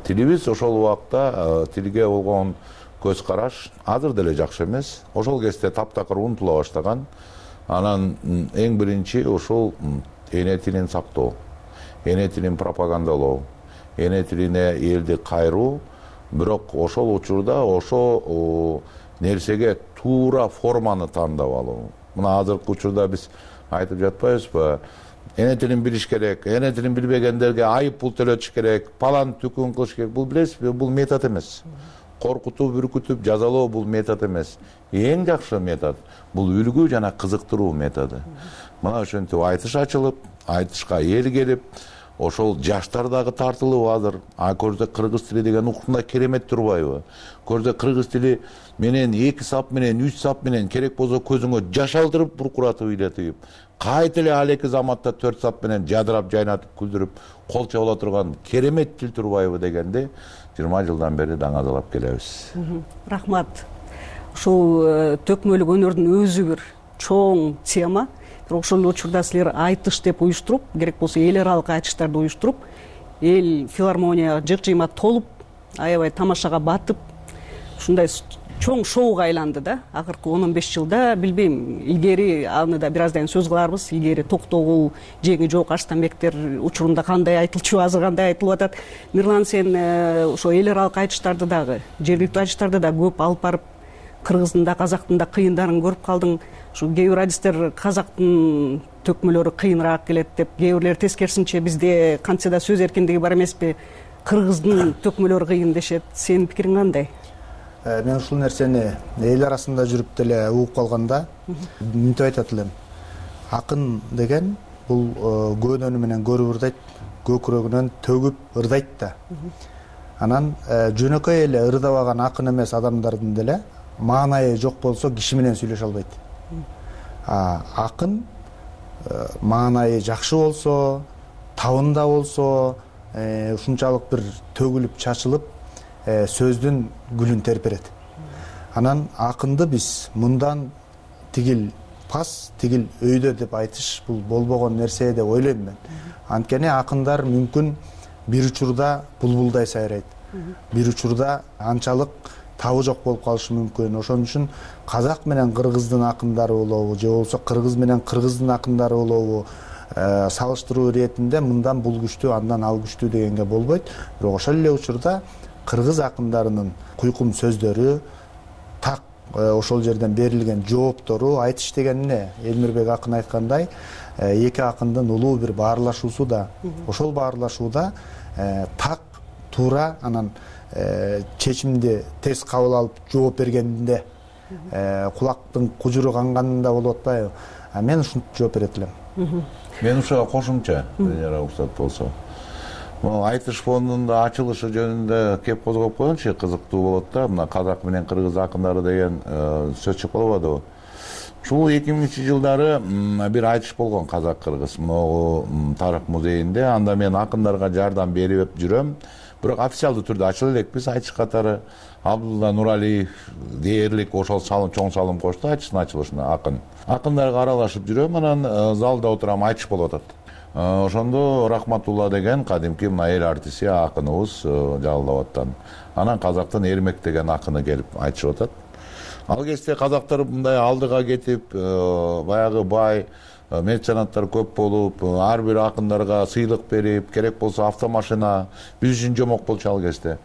Тилибиз ошол убакта тилге болгон көз караш азыр деле жакшы эмес. Ошол кезде таптакыр унутула баштаган. Анан эң биринчи ошол эне тилин сактоо, эне тилин пропагандалоо, эне тилине элди кайруу. Бирок ошол учурда ошо нерсеге туура форманы тандап алуу. Мына азыркы учурда биз айтып жатпайбызбы? Эне тилин билиш керек, эне тилин билбегендерге айып пул төлөтүш керек, палан түкүн кылыш керек. Бул билесизби, бул метод эмес. Коркутуп, бүркүтүп, жазалоо бул метод эмес. Эң жакшы метод бул үлгү жана кызыктыруу методу. Мына ошентип айтыш ачылып, айтышка эл келип, ошол жаштар дагы тартылып азыр. А көрдө кыргыз тили деген укугунда керемет турбайбы? Көрдө кыргыз тили менен эки сап менен, үч сап менен керек болсо көзүңө жаш алдырып, буркуратып ыйлатып, кайта эле ал эки заматта төрт сап менен жадырап, жайнатып, күлдүрүп, кол чабыла турган керемет тил турбайбы дегенди жыйырма жылдан бери даңазалап келебиз. Рахмат. Ушул төкмөлүк өнөрдүн өзү бир чоң тема. бирок ошол учурда силер айтыш деп уюштуруп, керек болсо эл аралык айтыштарды уюштуруп, эл филармония жык-жыйма толуп, аябай тамашага батып, ушундай чоң шоуга айланды да. Акыркы он он беш жылда, билбейм, илгери аны да бир аздан сөз кыларбыз. Илгери Токтогул, Жеңи жок Арстанбектер учурунда кандай айтылчу, азыр кандай айтылып атат. Мирлан, сен ошо эл аралык айтыштарды дагы, жергиликтүү айтыштарды да көп алып барып, кыргыздын да, казактын да кыйындарын көрүп калдың. Ушу кээ бир адистер казактын төкмөлөрү кыйыныраак келет деп, кээ бирлер тескерисинче бизде кантсе да сөз эркиндиги бар эмеспи, кыргыздын төкмөлөрү кыйын дешет. Сенин пикириң кандай? Мен ушул нерсени эл арасында жүрүп деле угуп калганда мынтип айтат элем. Акын деген бул көөнөнү менен көрүп ырдайт, көкүрөгүнөн төгүп ырдайт да. Анан жөнөкөй эле ырдабаган акын эмес адамдардын деле маанайы жок болсо киши менен сүйлөшө албайт. Акын маанайы жакшы болсо, табында болсо, ушунчалык бир төгүлүп чачылып, сөздүн гүлүн терперет. Анан акынды биз мындан тигил пас, тигил өйдө деп айтыш бул болбогон нерсе деп ойлойм мен. Анткени акындар мүмкүн бир учурда булбулдай сайрайт, бир учурда анчалык табы жок болуп калышы мүмкүн. Ошон үчүн казак менен кыргыздын акындары болобу, же болбосо кыргыз менен кыргыздын акындары болобу, салыштыруу иретинде мындан бул күчтүү, андан ал күчтүү дегенге болбойт. Бирок ошол эле учурда кыргыз акындарынын куйкум сөздөрү, так ошол жерден берилген жооптору, айтыш деген эмне? Элмирбек акын айткандай, эки акындын улуу бир баарлашуусу да. Ошол баарлашууда так, туура, анан чечимди тез кабыл алып жооп бергенде кулактын кужуру канганында болуп атпайбы? Мен ушинтип жооп берет элем. Мен ушуга кошумча, уруксат болсо. Айтыш фондунун ачылышы жөнүндө кеп козгоп койгончу, кызыктуу болот да. Мына казак менен кыргыз акындары деген сөз чыгып калбадыбы? Ушул эки миңинчи жылдары бир айтыш болгон казак-кыргыз могу тарых музейинде. Анда мен акындарга жардам берип жүрөм. Бирок официалдуу түрдө ачыла элекпиз айтыш катары. Абдулла Нуралиев дээрлик ошол салым, чоң салым кошту айтыштын ачылышына акын. Акындарга аралашып жүрөм, анан залда отурам, айтыш болуп атат. Ошондо Рахматулла деген кадимки мына эл артисти акыныбыз жалалап аттан. Анан казактын Эрмек деген акыны келип айтышып атат. Ал кезде казактар мындай алдыга кетип, баягы бай меценаттар көп болуп, ар бир акындарга сыйлык берип, керек болсо автомашина, биз үчүн жомок болчу ал кезде.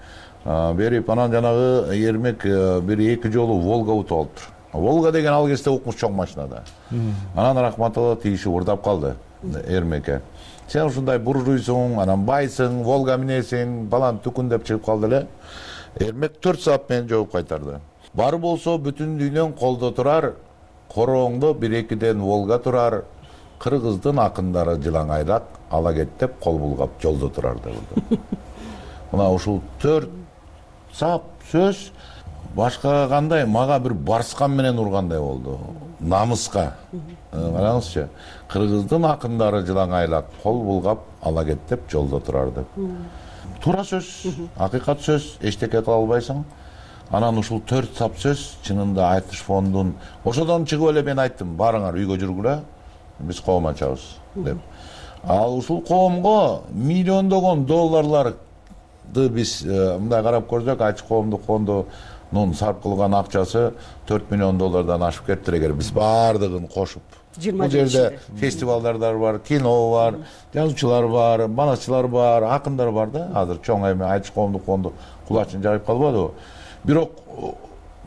Берип, анан жанагы Эрмек бир эки жолу Волга утуп алыптыр. Волга деген ал кезде укмуш чоң машина да. Анан Рахматулла тийишип урдап калды Эрмекке. Сен ушундай буржуйсуң, анан байсың, Волга минесиң, балан түкүн деп чыгып калды эле. Эрмек төрт саат менен жооп кайтарды. Бар болсо бүтүн дүйнөң колдо турар, корооңдо бир экиден Волга турар, кыргыздын акындары жылаңайлап, ала кет деп кол булгап жолдо турар деп. Мына ушул төрт сап сөз башка кандай мага бир барскан менен ургандай болду. Намыска. Караңызчы, кыргыздын акындары жылаңайлап, кол булгап, ала кет деп жолдо турар деп. Туура сөз, акыйкат сөз, эчтеке кыла албайсың. Анан ушул төрт сап сөз чынында айтыш фондун. Ошодон чыгып эле мен айттым, барыңар үйгө жүргүлө, биз коом ачабыз деп. Ал ушул коомго миллиондогон долларларды биз мындай карап көрсөк, айтыш коомдук фондунун сарп кылган акчасы төрт миллион доллардан ашып кетти эгер биз баардыгын кошуп. Бул жерде фестивалдар бар, кино бар, жазуучулар бар, манасчылар бар, акындар бар да. Азыр чоң эме айтыш коомдук фонду кулачын жайып калбадыбы? Бирок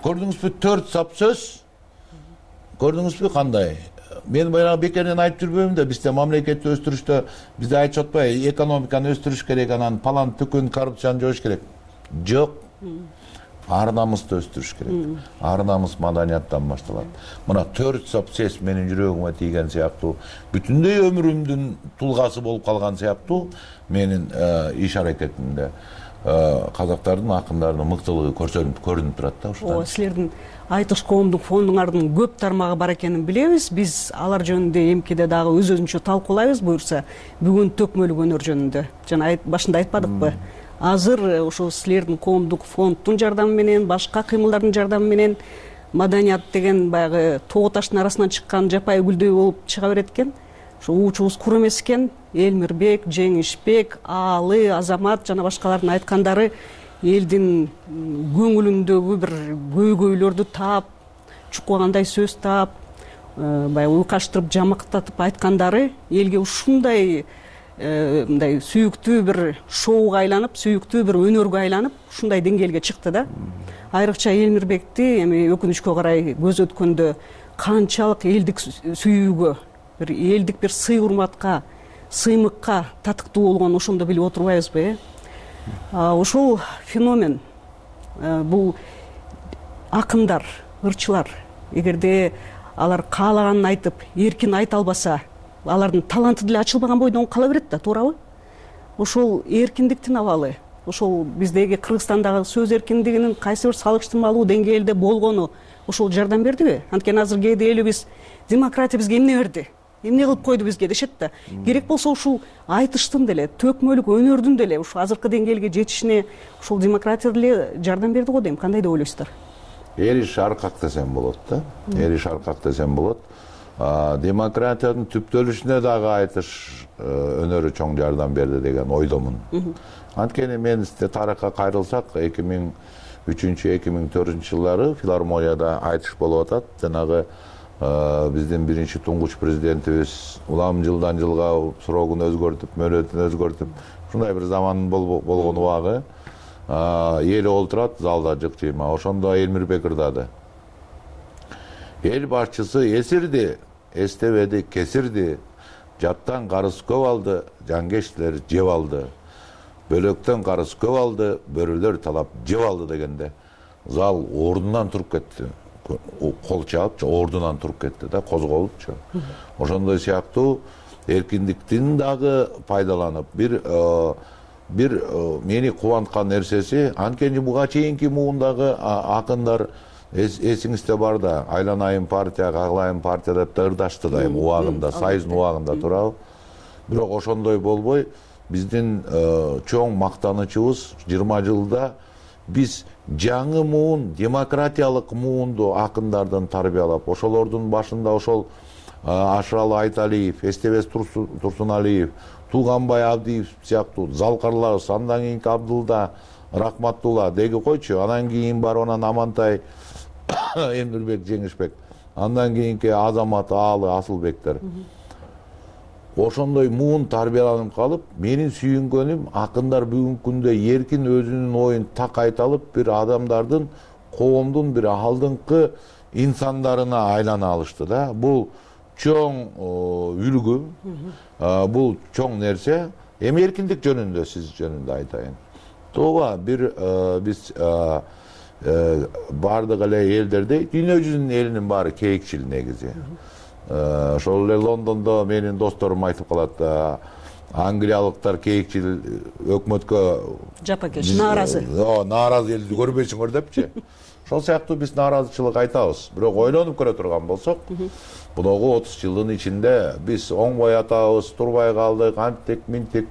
көрдүңүзбү төрт сап сөз? Көрдүңүзбү кандай? Мен баягы бекеринен айтып жүрбөйм да, бизде мамлекетти өстүрүштө бизде айтып атпайбы, экономиканы өстүрүш керек, анан палан түкүн коррупцияны жоюш керек. Жок. Ар намысты өстүрүш керек. Ар намыс маданияттан башталат. Мына төрт сап сөз менин жүрөгүмө тийген сыяктуу, бүтүндөй өмүрүмдүн тулгасы болуп калган сыяктуу менин иш аракетимде казактардын акындарынын мыктылыгы көрсөнүп көрүнүп турат да ушудан. Ооба, силердин айтыш коомдук фондуңардын көп тармагы бар экенин билебиз. Биз алар жөнүндө эмкиде дагы өз өзүнчө талкуулайбыз буюрса, бүгүн төкмөлүк өнөр жөнүндө. Жана башында айтпадыкпы? Азыр ошол силердин коомдук фонддун жардамы менен, башка кыймылдардын жардамы менен маданият деген баягы тоо таштын арасынан чыккан жапайы гүлдөй болуп чыга берет экен. Ошо уучубуз кур эмес экен. Элмирбек, Жеңишбек, Аалы, Азамат жана башкалардын айткандары элдин көңүлүндөгү бир көйгөйлөрдү таап, чуккандай сөз таап, баягы уйкаштырып, жамактатып айткандары элге ушундай мындай сүйүктүү бир шоуга айланып, сүйүктүү бир өнөргө айланып, ушундай деңгээлге чыкты да. Айрыкча Элмирбекти эми өкүнүчкө карай көз өткөндө канчалык элдик сүйүүгө, бир элдик бир сый урматка, сыймыкка татыктуу болгонун ошондо билип отурбайбызбы, э? Ошол феномен, бул акындар, ырчылар, эгерде алар каалаганын айтып, эркин айта албаса, алардын таланты деле ачылбаган бойдон кала берет да, туурабы? Ошол эркиндиктин абалы, ошол биздеги Кыргызстандагы сөз эркиндигинин кайсы бир салыштырмалуу деңгээлде болгону ошол жардам бердиби? Анткени азыр кээде элибиз демократия бизге эмне берди? Эмне кылып койду бизге дешет да. Керек болсо ушул айтыштын деле, төкмөлүк өнөрдүн деле ушу азыркы деңгээлге жетишине ушул демократия деле жардам берди го дейм. Кандай деп ойлойсуздар? Эриш аркак десем болот да. Эриш аркак десем болот. Демократиянын түптөлүшүнө дагы айтыш өнөрү чоң жардам берди деген ойдомун. Анткени мен тарыхка кайрылсак, эки миң үчүнчү эки миң төртүнчү жылдары филармонияда айтыш болуп атат. Жанагы биздин биринчи туңгуч президентибиз улам жылдан жылга срогун өзгөртүп, мөөнөтүн өзгөртүп, ушундай бир заман болгон убагы эл олтурат залда жык-жыйма. Ошондо Элмирбек ырдады. Эл башчысы эсирди, эстебеди, кесирди. Жаттан карыз көп алды, жангештер жеп алды. Бөлөктөн карыз көп алды, бөрүлөр талап жеп алды дегенде зал ордунан туруп кетти. Кол чаап, ордунан туруп кетти да, козголупчу. Ошондой сыяктуу эркиндиктин дагы пайдаланып, бир бир мени кубанткан нерсеси, анткени буга чейинки муундагы акындар эсиңизде бар да, айланайын партияга, каглайын партия деп да ырдашты да, эми убагында, союздун убагында, туурабы? Бирок ошондой болбой, биздин чоң мактанычыбыз жыйырма жылда биз жаңы муун, демократиялык муунду акындардан тарбиялап, ошолордун башында ошол Ашыралы Айталиев, Эстебес Турсуналиев, Тууганбай Абдиев сыяктуу залкарларыбыз, андан кийинки Абдулда, Рахматтулла деги койчу, анан кийин бар онан Амантай, Элмирбек, Жеңишбек, андан кийинки Азамат, Аалы, Асылбектер. Ошондой муун тарбияланып калып, менин сүйүнгөнүм акындар бүгүнкү күндө эркин өзүнүн оюн так айта алып, бир адамдардын, коомдун бир алдыңкы инсандарына айлана алышты да. Бул чоң үлгү, бул чоң нерсе. Эми эркиндик жөнүндө сиз жөнүндө айтайын. Тооба бир биз бардык эле элдерде, дүйнө жүзүнүн элинин баары кейикчил негизи. Ошол эле Лондондо менин досторум айтып калат, англиялыктар кейикчил өкмөткө жапакеш, нааразы. Нааразы элди көрбөйсүңөр депчи. Ошол сыяктуу биз нааразычылык айтабыз. Бирок ойлонуп көрө турган болсок, муногу отуз жылдын ичинде биз оңбой атабыз, турбай калдык, анттик, минтик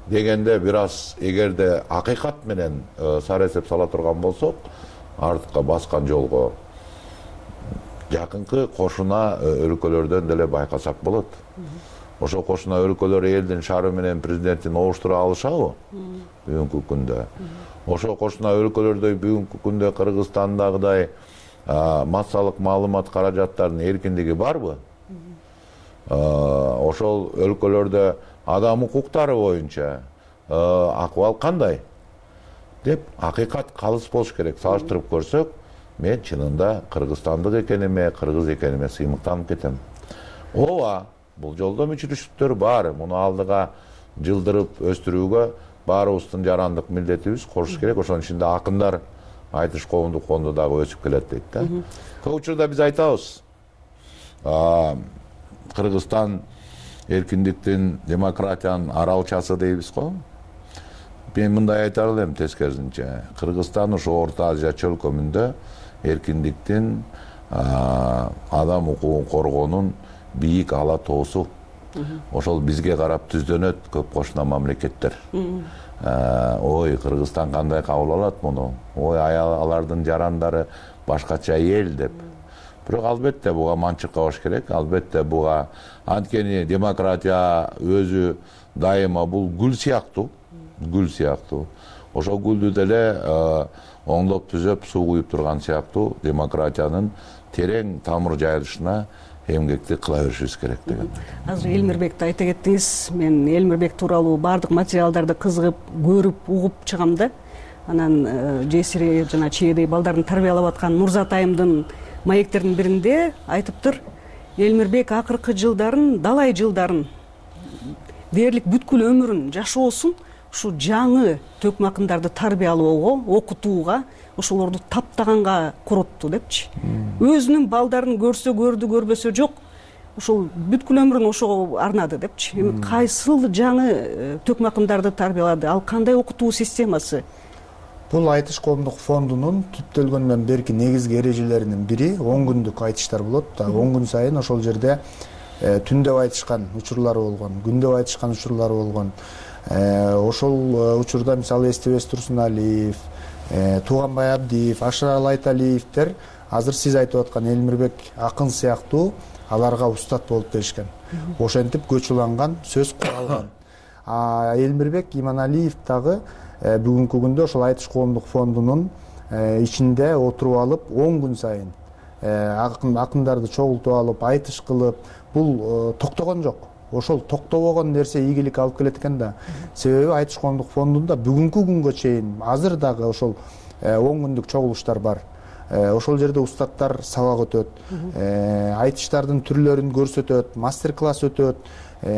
дегенде бир аз эгерде акыйкат менен сара эсеп сала турган болсок, артка баскан жолго жакынкы кошуна өлкөлөрдөн деле байкасак болот. Ошо кошуна өлкөлөр элдин шаары менен президентин обуштура алышабы бүгүнкү күндө? Ошо кошуна өлкөлөрдө бүгүнкү күндө Кыргызстандагыдай массалык маалымат каражаттарынын эркиндиги барбы? Ошол өлкөлөрдө адам укуктары боюнча акыбал кандай деп акыйкат калыс болуш керек. Салыштырып көрсөк, мен чынында кыргызстандык экениме, кыргыз экениме сыймыктанып кетем. Ооба, бул жолдо мүчүрүштүктөр бар. Муну алдыга жылдырып өстүрүүгө баарыбыздын жарандык милдетибиз кошуш керек. Ошонун ичинде акындар айтыш коомдук фонду дагы өсүп келет дейт да. Көп учурда биз айтабыз, Кыргызстан эркиндиктин, демократиянын аралчасы дейбиз го. Мен мындай айтар элем тескерисинче. Кыргызстан ошо Орто Азия чөлкөмүндө эркиндиктин, адам укугун коргоонун бийик ала тоосу. Ошол бизге карап түздөнөт көп кошуна мамлекеттер. ой Кыргызстан кандай кабыл алат муну, ой алардын жарандары башкача эл деп. Бирок албетте буга манчыкабаш керек, албетте буга анткени демократия өзү дайыма бул гүл сыяктуу, гүл сыяктуу. Ошол гүлдү деле оңдоп түзөп суу куюп турган сыяктуу демократиянын терең тамыр жайылышына эмгекти кыла беришибиз керек деген. Азыр Элмирбекти айта кеттиңиз. Мен Элмирбек тууралуу баардык материалдарды кызыгып, көрүп, угуп чыгам да. Анан жесири жана чээдей балдарын тарбиялап аткан Нурзат айымдын маектердин биринде айтыптыр, Элмирбек акыркы жылдарын, далай жылдарын, дээрлик бүткүл өмүрүн, жашоосун ушу жаңы төкмө акындарды тарбиялоого, окутууга, ошолорду таптаганга коротту депчи. Өзүнүн балдарын көрсө көрдү, көрбөсө жок, ошол бүткүл өмүрүн ошого арнады депчи. Эми кайсыл жаңы төкмө акындарды тарбиялады, ал кандай окутуу системасы? Бул айтыш коомдук фондунун түптөлгөндөн берки негизги эрежелеринин бири он күндүк айтыштар болот. он күн сайын ошол жерде түндөп айтышкан учурлары болгон, күндөп айтышкан учурлары болгон. Ошол учурда мисалы Эстебес Турсуналиев, Тууганбай Абдиев, Ашырал Айталиевдер азыр сиз айтып аткан Элмирбек акын сыяктуу аларга устат болуп беришкен. Ошентип көч уланган, сөз куралган. А Элмирбек Иманалиев дагы бүгүнкү күндө ошол айтыш коомдук фондунун ичинде отуруп алып он күн сайын акындарды чогултуп алып, айтыш кылып, бул токтогон жок. Ошол токтобогон нерсе ийгилик алып келет экен да. Себеби айтыш коомдук фондунда бүгүнкү күнгө чейин азыр дагы ошол он күндүк чогулуштар бар. Ошол жерде устаттар сабак өтөт, айтыштардын түрлөрүн көрсөтөт, мастер-класс өтөт.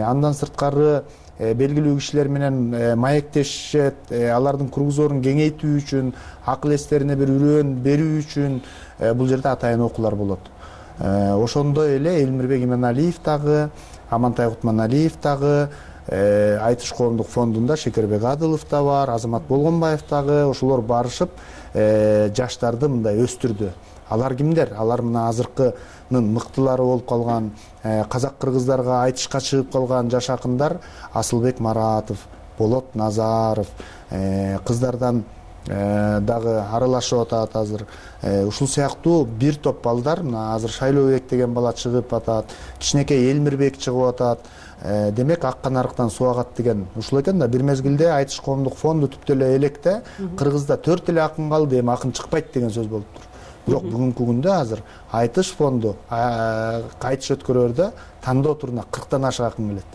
Андан сырткары белгилүү кишилер менен маектешет, алардын кругзорун кеңейтүү үчүн, акыл эстерине бир үрөөн берүү үчүн бул жерде атайын окуулар болот. Ошондой эле Элмирбек Иманалиев дагы, Амантай Кутманалиев дагы, айтыш коомдук фондунда Шекербек Адылов да бар, Азамат Болгонбаев дагы, ошолор барышып жаштарды мындай өстүрдү. Алар кимдер? Алар мына азыркынын мыктылары болуп калган, казак кыргыздарга айтышка чыгып калган жаш акындар Асылбек Маратов, Болот Назаров, кыздардан дагы аралашып атат азыр. Ушул сыяктуу бир топ балдар, мына азыр Шайлообек деген бала чыгып атат, кичинекей Элмирбек чыгып атат. Демек ак канарыктан суу агат деген ушул экен да. Бир мезгилде айтыш коомдук фонду түптө эле электе Кыргызда төрт эле акын калды, эми акын чыкпайт деген сөз болуптур. Бирок бүгүнкү күндө азыр айтыш фонду айтыш өткөрөрдө тандоо туруна кырктан ашык акын келет.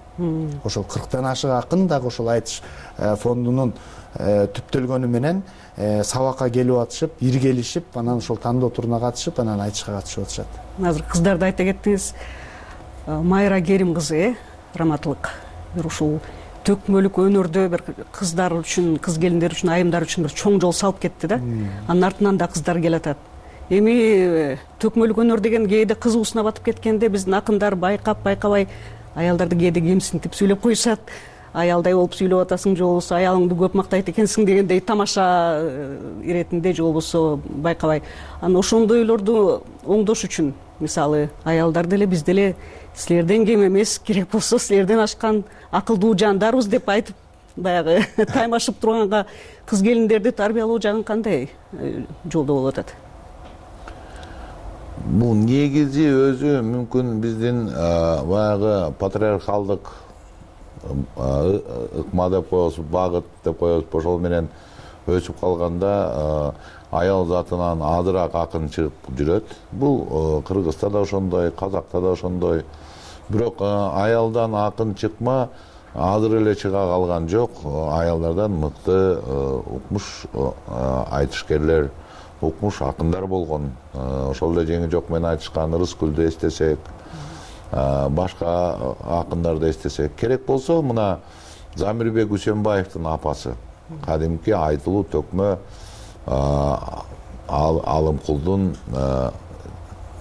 Ошол кырктан ашык акын дагы ошол айтыш фондунун түптөлгөнү менен сабакка келип атышып, иргелишип, анан ошол тандоо туруна катышып, анан айтышка катышып атышат. Азыр кыздарды айта кеттиңиз. Майра Керим кызы, раматлык. Бир ушул төкмөлүк өнөрдө бир кыздар үчүн, кыз келиндер үчүн, айымдар үчүн бир чоң жол салып кетти да. Анын артынан да кыздар келатат. Эми төкмөлүк өнөр деген кээде кызуусуна батып кеткенде биздин акындар байкап байкабай аялдарды кээде кемсинтип сүйлөп коюшат. Аялдай болуп сүйлөп атасың, же болбосо аялыңды көп мактайт экенсиң дегендей тамаша иретинде, же болбосо байкабай. Анан ошондойлорду оңдош үчүн, мисалы, аялдар деле биз деле силерден кем эмес, керек болсо силерден ашкан акылдуу жандарбыз деп айтып, баягы таймашып турганга кыз келиндерди тарбиялоо жагын кандай жолдо болуп атат? Бул негизи өзү мүмкүн биздин баягы патриархалдык ыкма деп коебуз, багыт деп коебуз, ошол менен өсүп калганда аял затынан азыраак акын чыгып жүрөт. Бул Кыргызда да ошондой, Казакта да ошондой. Бирок аялдан акын чыкма азыр эле чыга калган жок. Аялдардан мыкты укмуш айтышкерлер, укмуш акындар болгон. Ошол эле жеңи жок менен айтышкан Рыскүлдү эстесек, башка акындарды эстесек, керек болсо мына Замирбек Үсөнбаевдин апасы, кадимки айтылуу төкмө Алымкулдун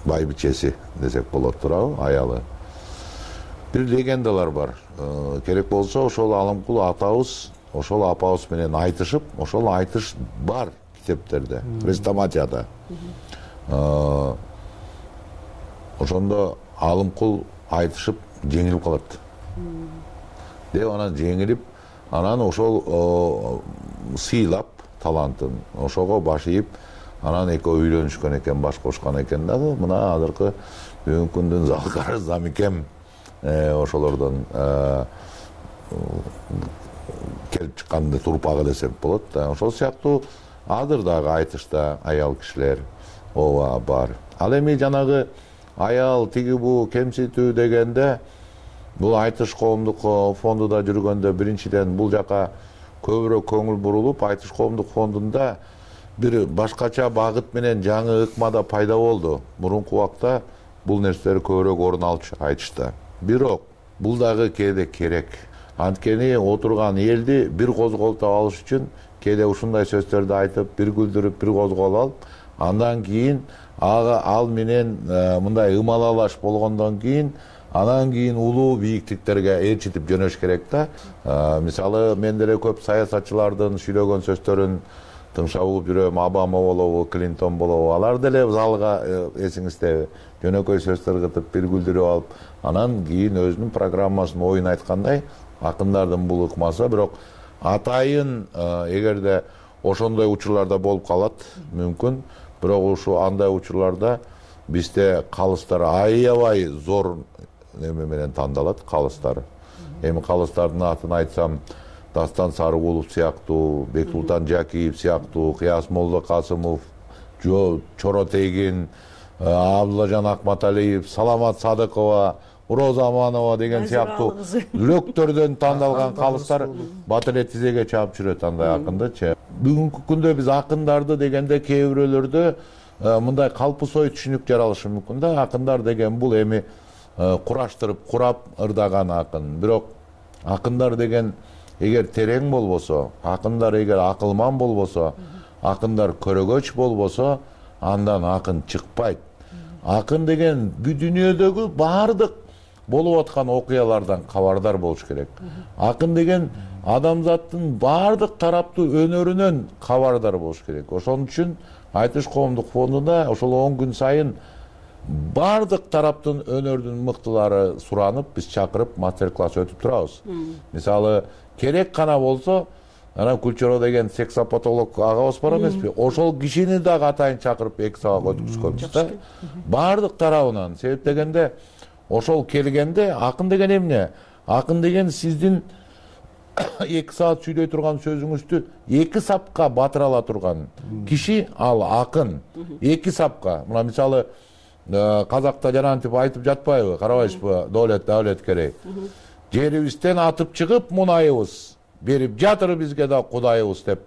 байбичеси десек болот туурабы, аялы. Бир легендалар бар. Керек болсо ошол Алымкул атабыз, ошол апабыз менен айтышып, ошол айтыш бар китептерде, хрестоматияда. Ошондо Алымкул айтышып жеңилип калат. Деп анан жеңилип анан ошол сыйлап талантын ошого баш ийип анан экөө үйлөнүшкөн экен, баш кошкон экен дагы. Мына азыркы бүгүнкү күндүн залкары замикем ошолордон келип чыкканды турпагы десек болот да. Ошол сыяктуу азыр дагы айтышта аял кишилер ооба бар. Ал эми жанагы аял тиги бу кемситүү дегенде бул айтыш коомдук фондунда жүргөндө биринчиден бул жака көбүрөөк көңүл бурулуп, айтыш коомдук фондунда бир башкача багыт менен жаңы ыкмада пайда болду. Мурунку убакта бул нерселер көбүрөөк орун алчу айтышта. Бирок бул дагы кээде керек. Анткени отурган элди бир козголтуп алыш үчүн кээде ушундай сөздөрдү айтып, бир күлдүрүп, бир козголуп алып, андан кийин ага ал менен мындай ымалалаш болгондон кийин анан кийин улуу бийиктиктерге ээрчитип жөнөш керек да. Мисалы мен деле көп саясатчылардын сүйлөгөн сөздөрүн тыңшап угуп жүрөм. Обама болобу, Клинтон болобу, алар деле залга эсиңиздеби жөнөкөй сөздөр кытып, бир күлдүрүп алып, анан кийин өзүнүн программасын оюн айткандай акындардын бул ыкмасы. Бирок атайын эгерде ошондой учурларда болуп калат мүмкүн. Бирок ушу андай учурларда бизде калыстар аябай зор неме менен тандалат, калыстар. Эми калыстардын атын айтсам, Дастан Сарыгулов сыяктуу, Бектултан Жакиев сыяктуу, Кыяс Молдо Касымов, Чоро Тегин, Абдуллажан Акматалиев, Саламат Садыкова, Роза Аманова деген сыяктуу лөктөрдөн тандалган калыстар батыр эле тизеге чаап жүрөт андай акындычы. Бүгүнкү күндө биз акындарды дегенде кээ бирөөлөрдө мындай калпысой түшүнүк жаралышы мүмкүн да. Акындар деген бул эми кураштырып, курап ырдаган акын. Бирок акындар деген эгер терең болбосо, акындар эгер акылман болбосо, акындар көрөгөч болбосо, андан акын чыкпайт. Акын деген бүт дүйнөдөгү баардык болуп аткан окуялардан кабардар болуш керек. Акын деген адамзаттын баардык тараптуу өнөрүнөн кабардар болуш керек. Ошон үчүн айтыш коомдук фондунда ошол он күн сайын баардык тараптын өнөрдүн мыктылары суранып, биз чакырып мастер-класс өтүп турабыз. Мисалы, керек гана болсо, анан Кульчоро деген сексопатолог агабыз бар эмеспи? Ошол кишини дагы атайын чакырып эки сабак өткүзгөнбүз да. Баардык тарабынан. Себеп дегенде ошол келгенде акын деген эмне? Акын деген сиздин эки саат сүйлөй турган сөзүңүздү эки сапка батыра ала турган киши ал акын. Эки сапка. Мына мисалы казакта жанантип айтып жатпайбы? Карабайсызбы? Доолет давлет керек. Жерибизден атып чыгып мунайыбыз, берип жатыр бизге да кудайыбыз деп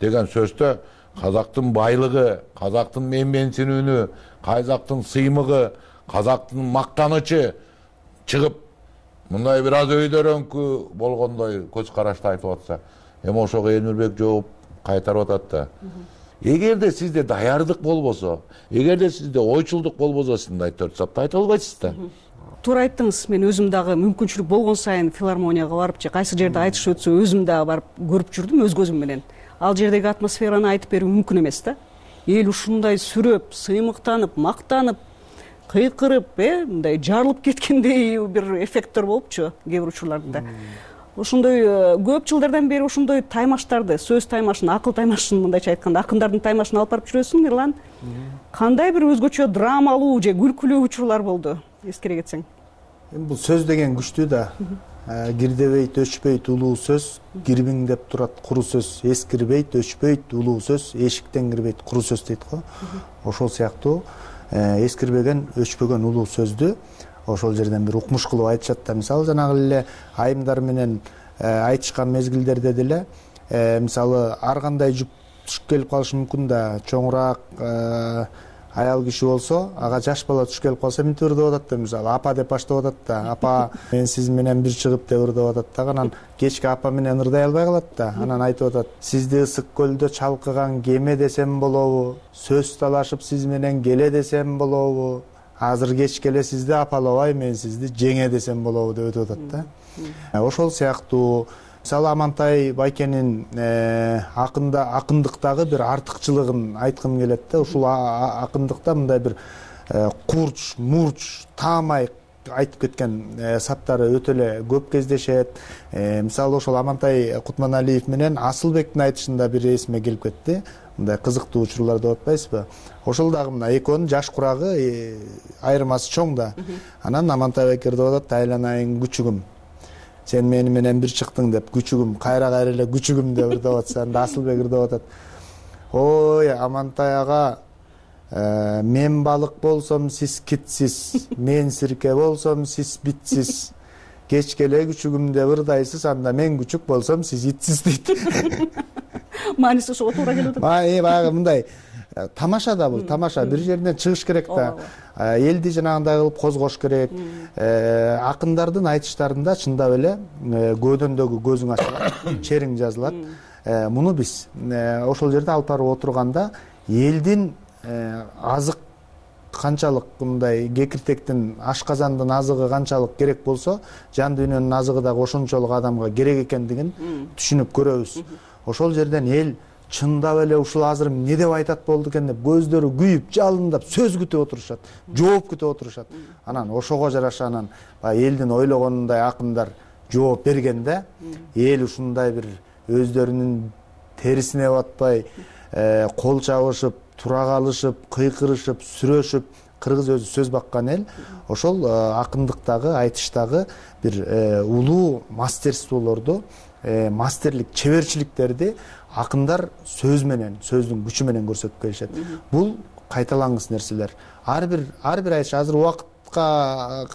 деген сөздө казактын байлыгы, казактын менменсинүүнү, казактын сыймыгы, казактын мактанычы чыгып мындай бир аз өйдөрөңкү болгондой көз карашты айтып атса, эми ошого Элмирбек жооп кайтарып атат да. Эгерде сизде даярдык болбосо, эгерде сизде ойчулдук болбосо, сиз мындай төрт сапта айта албайсыз да. Туура айттыңыз. Мен өзүм дагы мүмкүнчүлүк болгон сайын филармонияга барып же кайсы жерде айтыш өтсө өзүм дагы барып көрүп жүрдүм өз көзүм менен. Ал жердеги атмосфераны айтып берүү мүмкүн эмес да. Эл ушундай сүрөп, сыймыктанып, мактанып, кыйкырып, э, мындай жарылып кеткендей бир эффекттер болупчу кээ бир учурларда. Ошондой көп жылдардан бери ошондой таймаштарды, сөз таймашын, акыл таймашын мындайча айтканда, акындардын таймашын алып барып жүрөсүң, Эрлан. Кандай бир өзгөчө драмалуу же күлкүлүү учурлар болду, эскере кетсең? Эми бул сөз деген күчтүү да. Кирдебейт, өчпөйт улуу сөз, кирбиңдеп турат куру сөз. Эскирбейт, өчпөйт улуу сөз, эшиктен кирбейт куру сөз дейт го. Ошол сыяктуу эскирбеген, өчпөгөн улуу сөздү ошол жерден бир укмуш кылып айтышат да. Мисалы, жанагы эле айымдар менен айтышкан мезгилдерде деле мисалы ар кандай жүк түшүп келип калышы мүмкүн да. Чоңураак аял киши болсо, ага жаш бала түшүп келип калса мынтип ырдап атат да. Мисалы, апа деп баштап атат да. Апа, мен сиз менен бир чыгып деп ырдап атат да. Анан кечки апа менен ырдай албай калат да. Анан айтып атат: сизди ысык көлдө чалкыган кеме десем болобу? Сөз талашып сиз менен келе десем болобу? Азыр кечке эле сизди апалабай, мен сизди жеңе десем болобу деп өтүп атат да. Ошол сыяктуу мисалы Амантай Байкенин акында акындыктагы бир артыкчылыгын айткым келет да. Ушул акындыкта мындай бир курч, мурч, таамай айтып кеткен саптары өтө эле көп кездешет. Мисалы ошол Амантай Кутманалиев менен Асылбектин айтышында бир эсиме келип кетти. Мындай кызыктуу учурлар деп атпайсызбы? Ошол дагы мына экөөнүн жаш курагы айырмасы чоң да. Анан Амантай Бекер деп атат: айланайын күчүгүм, сен мени менен бир чыктың деп, күчүгүм, кайра кайра эле күчүгүм деп ырдап атса, анда Асылбек ырдап атат: ой Амантай ага, мен балык болсом сиз китсиз, мен сирке болсом сиз битсиз, кечке эле күчүгүм деп ырдайсыз, анда мен күчүк болсом сиз итсиз дейт. Мааниси ошого туура келип атат. Баягы мындай тамаша да бул, тамаша. Бир жеринен чыгыш керек да. Элди жанагындай кылып козгош керек. Акындардын айтыштарында чындап эле көөдөндөгү көзүң ачылат, чериң жазылат. Муну биз ошол жерде алып барып отурганда элдин азык канчалык, мындай кекиртектин, ашказандын азыгы канчалык керек болсо, жан дүйнөнүн азыгы дагы ошончолук адамга керек экендигин түшүнүп көрөбүз. Ошол жерден эл чындап эле ушул азыр эмне деп айтат болду экен деп көздөрү күйүп, жалындап сөз күтүп отурушат, жооп күтүп отурушат. Анан ошого жараша анан элдин ойлогонундай акындар жооп бергенде, эл ушундай бир өздөрүнүн терисине батпай, кол чабышып, тура калышып, кыйкырышып, сүрөшүп, кыргыз өзү сөз баккан эл. Ошол акындыктагы, айтыштагы бир улуу мастерстволорду, мастерлик, чеберчиликтерди акындар сөз менен, сөздүн күчү менен көрсөтүп келишет. Бул кайталангыс нерселер. Ар бир ар бир айтыш азыр убакытка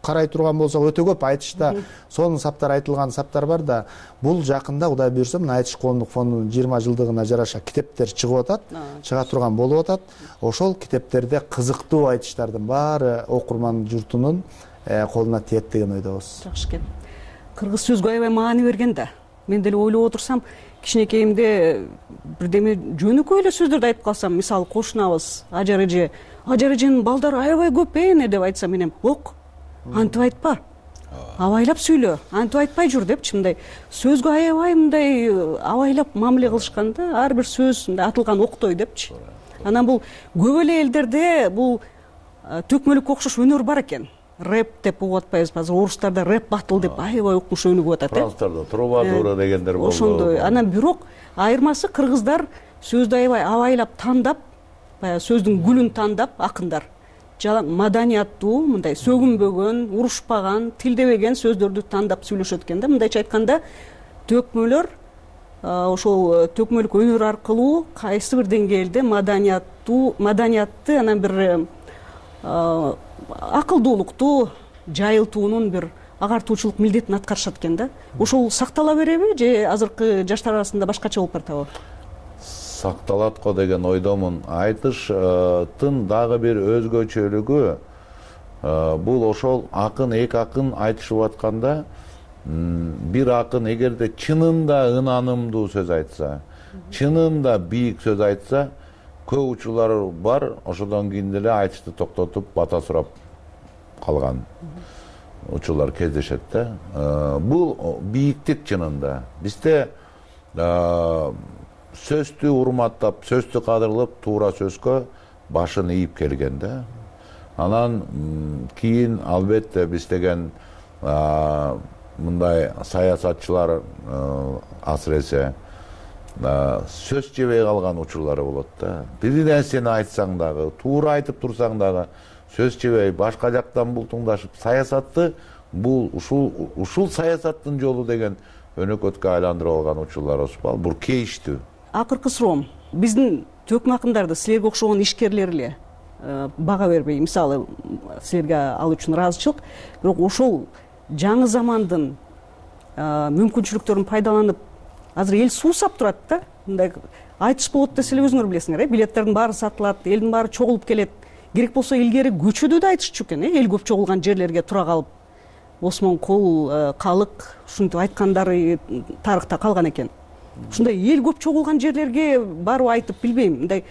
карай турган болсок өтө көп айтышта сонун саптар, айтылган саптар бар да, бул жакында Кудай буйрса мына Айтыш коомдук фондунун жыйырма жылдыгына жараша китептер чыгып атат, чыга турган болуп атат. Ошол китептерде кызыктуу айтыштардын баары окурман журтунун колуна тиет деген ойдобуз. Жакшы экен. Кыргыз сөзгө аябай маани берген да. Мен деле ойлоп отурсам, кичинекейимде бирдеме жөнөкөй эле сөздөрдү айтып калсам, мисалы кошунабыз, ажар эже, ажар эженин балдары аябай көп эне деп айтсам, менен ок, антип айтпа, абайлап сүйлө, антип айтпай жүр депчи, мындай сөзгө аябай мындай абайлап мамиле кылышкан да, ар бир сөз мындай атылган октой депчи. Анан бул көп эле элдерде бул төкмөлүккө окшош өнөр бар экен. Рэп деп угуп атпайбызбы? Азыр орустарда рэп батыл деп аябай укмуш өнүгүп атат. Францтарда трубадура дегендер болду. Ошондой. Анан бирок айырмасы кыргыздар сөздү аябай абайлап тандап, баягы сөздүн гүлүн тандап, акындар жалаң маданияттуу, мындай сөгүнбөгөн, урушпаган, тилдебеген сөздөрдү тандап сүйлөшөт экен да. Мындайча айтканда, төкмөлөр ошол төкмөлүк өнөр аркылуу кайсы бир деңгээлде маданияттуу, маданиятты анан бир акылдуулукту жайылтуунун бир агартуучулук милдетин аткарышат экен да. Ошол сактала береби же азыркы жаштар арасында башкача болуп баратабы? Сакталат го деген ойдомун. Айтыштын дагы бир өзгөчөлүгү бул ошол акын, эки акын айтышып атканда, бир акын эгерде чынында ынанымдуу сөз айтса, чынында бийик сөз айтса, көп учурлар бар, ошодон кийин деле айтышты токтотуп, бата сурап калган учурлар кездешет да. Бул бийиктик чынында. Бизде сөздү урматтап, сөздү кадырлап, туура сөзгө башын ийип келген да. Анан кийин албетте биз деген мындай саясатчылар асыресе сөз жебей калган учурлары болот да. Бир нерсени айтсаң дагы, туура айтып турсаң дагы сөз жебей башка жактан бултуңдашып, саясатты бул ушул ушул саясаттын жолу деген өнөкөткө айландырып алган учурлар болсо, бул кейиштүү. Акыркы суроом, биздин төкмө акындарды силерге окшогон ишкерлер эле бага бербей, мисалы силерге ал үчүн ыраазычылык, бирок ошол жаңы замандын мүмкүнчүлүктөрүн пайдаланып азыр эл суусап турат да. Мындай айтыш болот десе эле өзүңөр билесиңер, э, билеттердин баары сатылат, элдин баары чогулуп келет. Керек болсо илгери көчөдө да айтышчу экен, э, эл көп чогулган жерлерге тура калып, Осмон Кул, Калык ушинтип айткандары тарыхта калган экен. Ушундай эл көп чогулган жерлерге барып айтып билбейм, мындай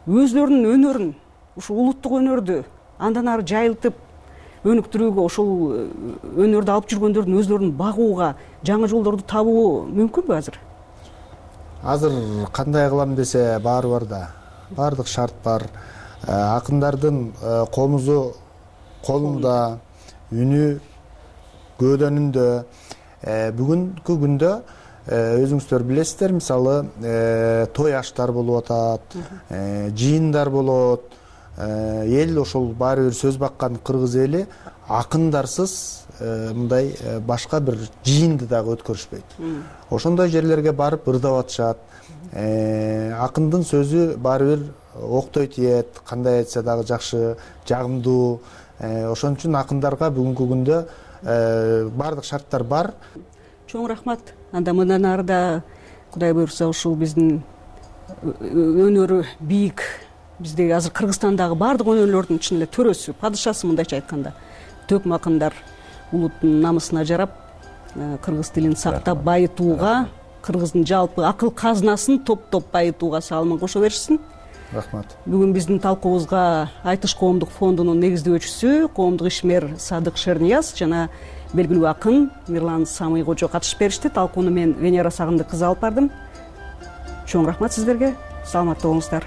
өзлөрүнүн өнөрүн, ушу улуттук өнөрдү андан ары жайылтып өнүктүрүүгө, ошол өнөрдү алып жүргөндөрдүн өзлөрүн багууга жаңы жолдорду табуу мүмкүнбү азыр? Азыр кандай кылам десе баары бар да. Баардык шарт бар. Акындардын комузу колунда, үнү көөдөнүндө. Бүгүнкү күндө өзүңүздөр билесиздер, мисалы той аштар болуп атат, жыйындар болот. Эл ошол баары бир сөз баккан кыргыз эли акындарсыз мындай башка бир жыйынды дагы өткөрүшпөйт. Ошондой жерлерге барып ырдап атышат. Акындын сөзү баары бир октой тиет, кандай айтса дагы жакшы, жагымдуу. Ошон үчүн акындарга бүгүнкү күндө баардык шарттар бар. Чоң рахмат. Анда мындан ары да Кудай буйрса ушул биздин өнөрү бийик, биздеги азыр Кыргызстандагы баардык өнөрлөрдүн чын эле төрөсү, падышасы мындайча айтканда, төкм акындар улуттун намысына жарап, кыргыз тилин сактап байытууга, кыргыздын жалпы акыл казынасын топтоп байытууга салымын кошо беришсин. Рахмат. Бүгүн биздин талкуубузга Айтыш коомдук фондунун негиздөөчүсү, коомдук ишмер Садык Шернияз жана белгилүү акын Мирлан Самый кожо катышып беришти. Талкууну мен Венера Сагындык кызы алып бардым. Чоң рахмат сиздерге. Саламатта болуңуздар.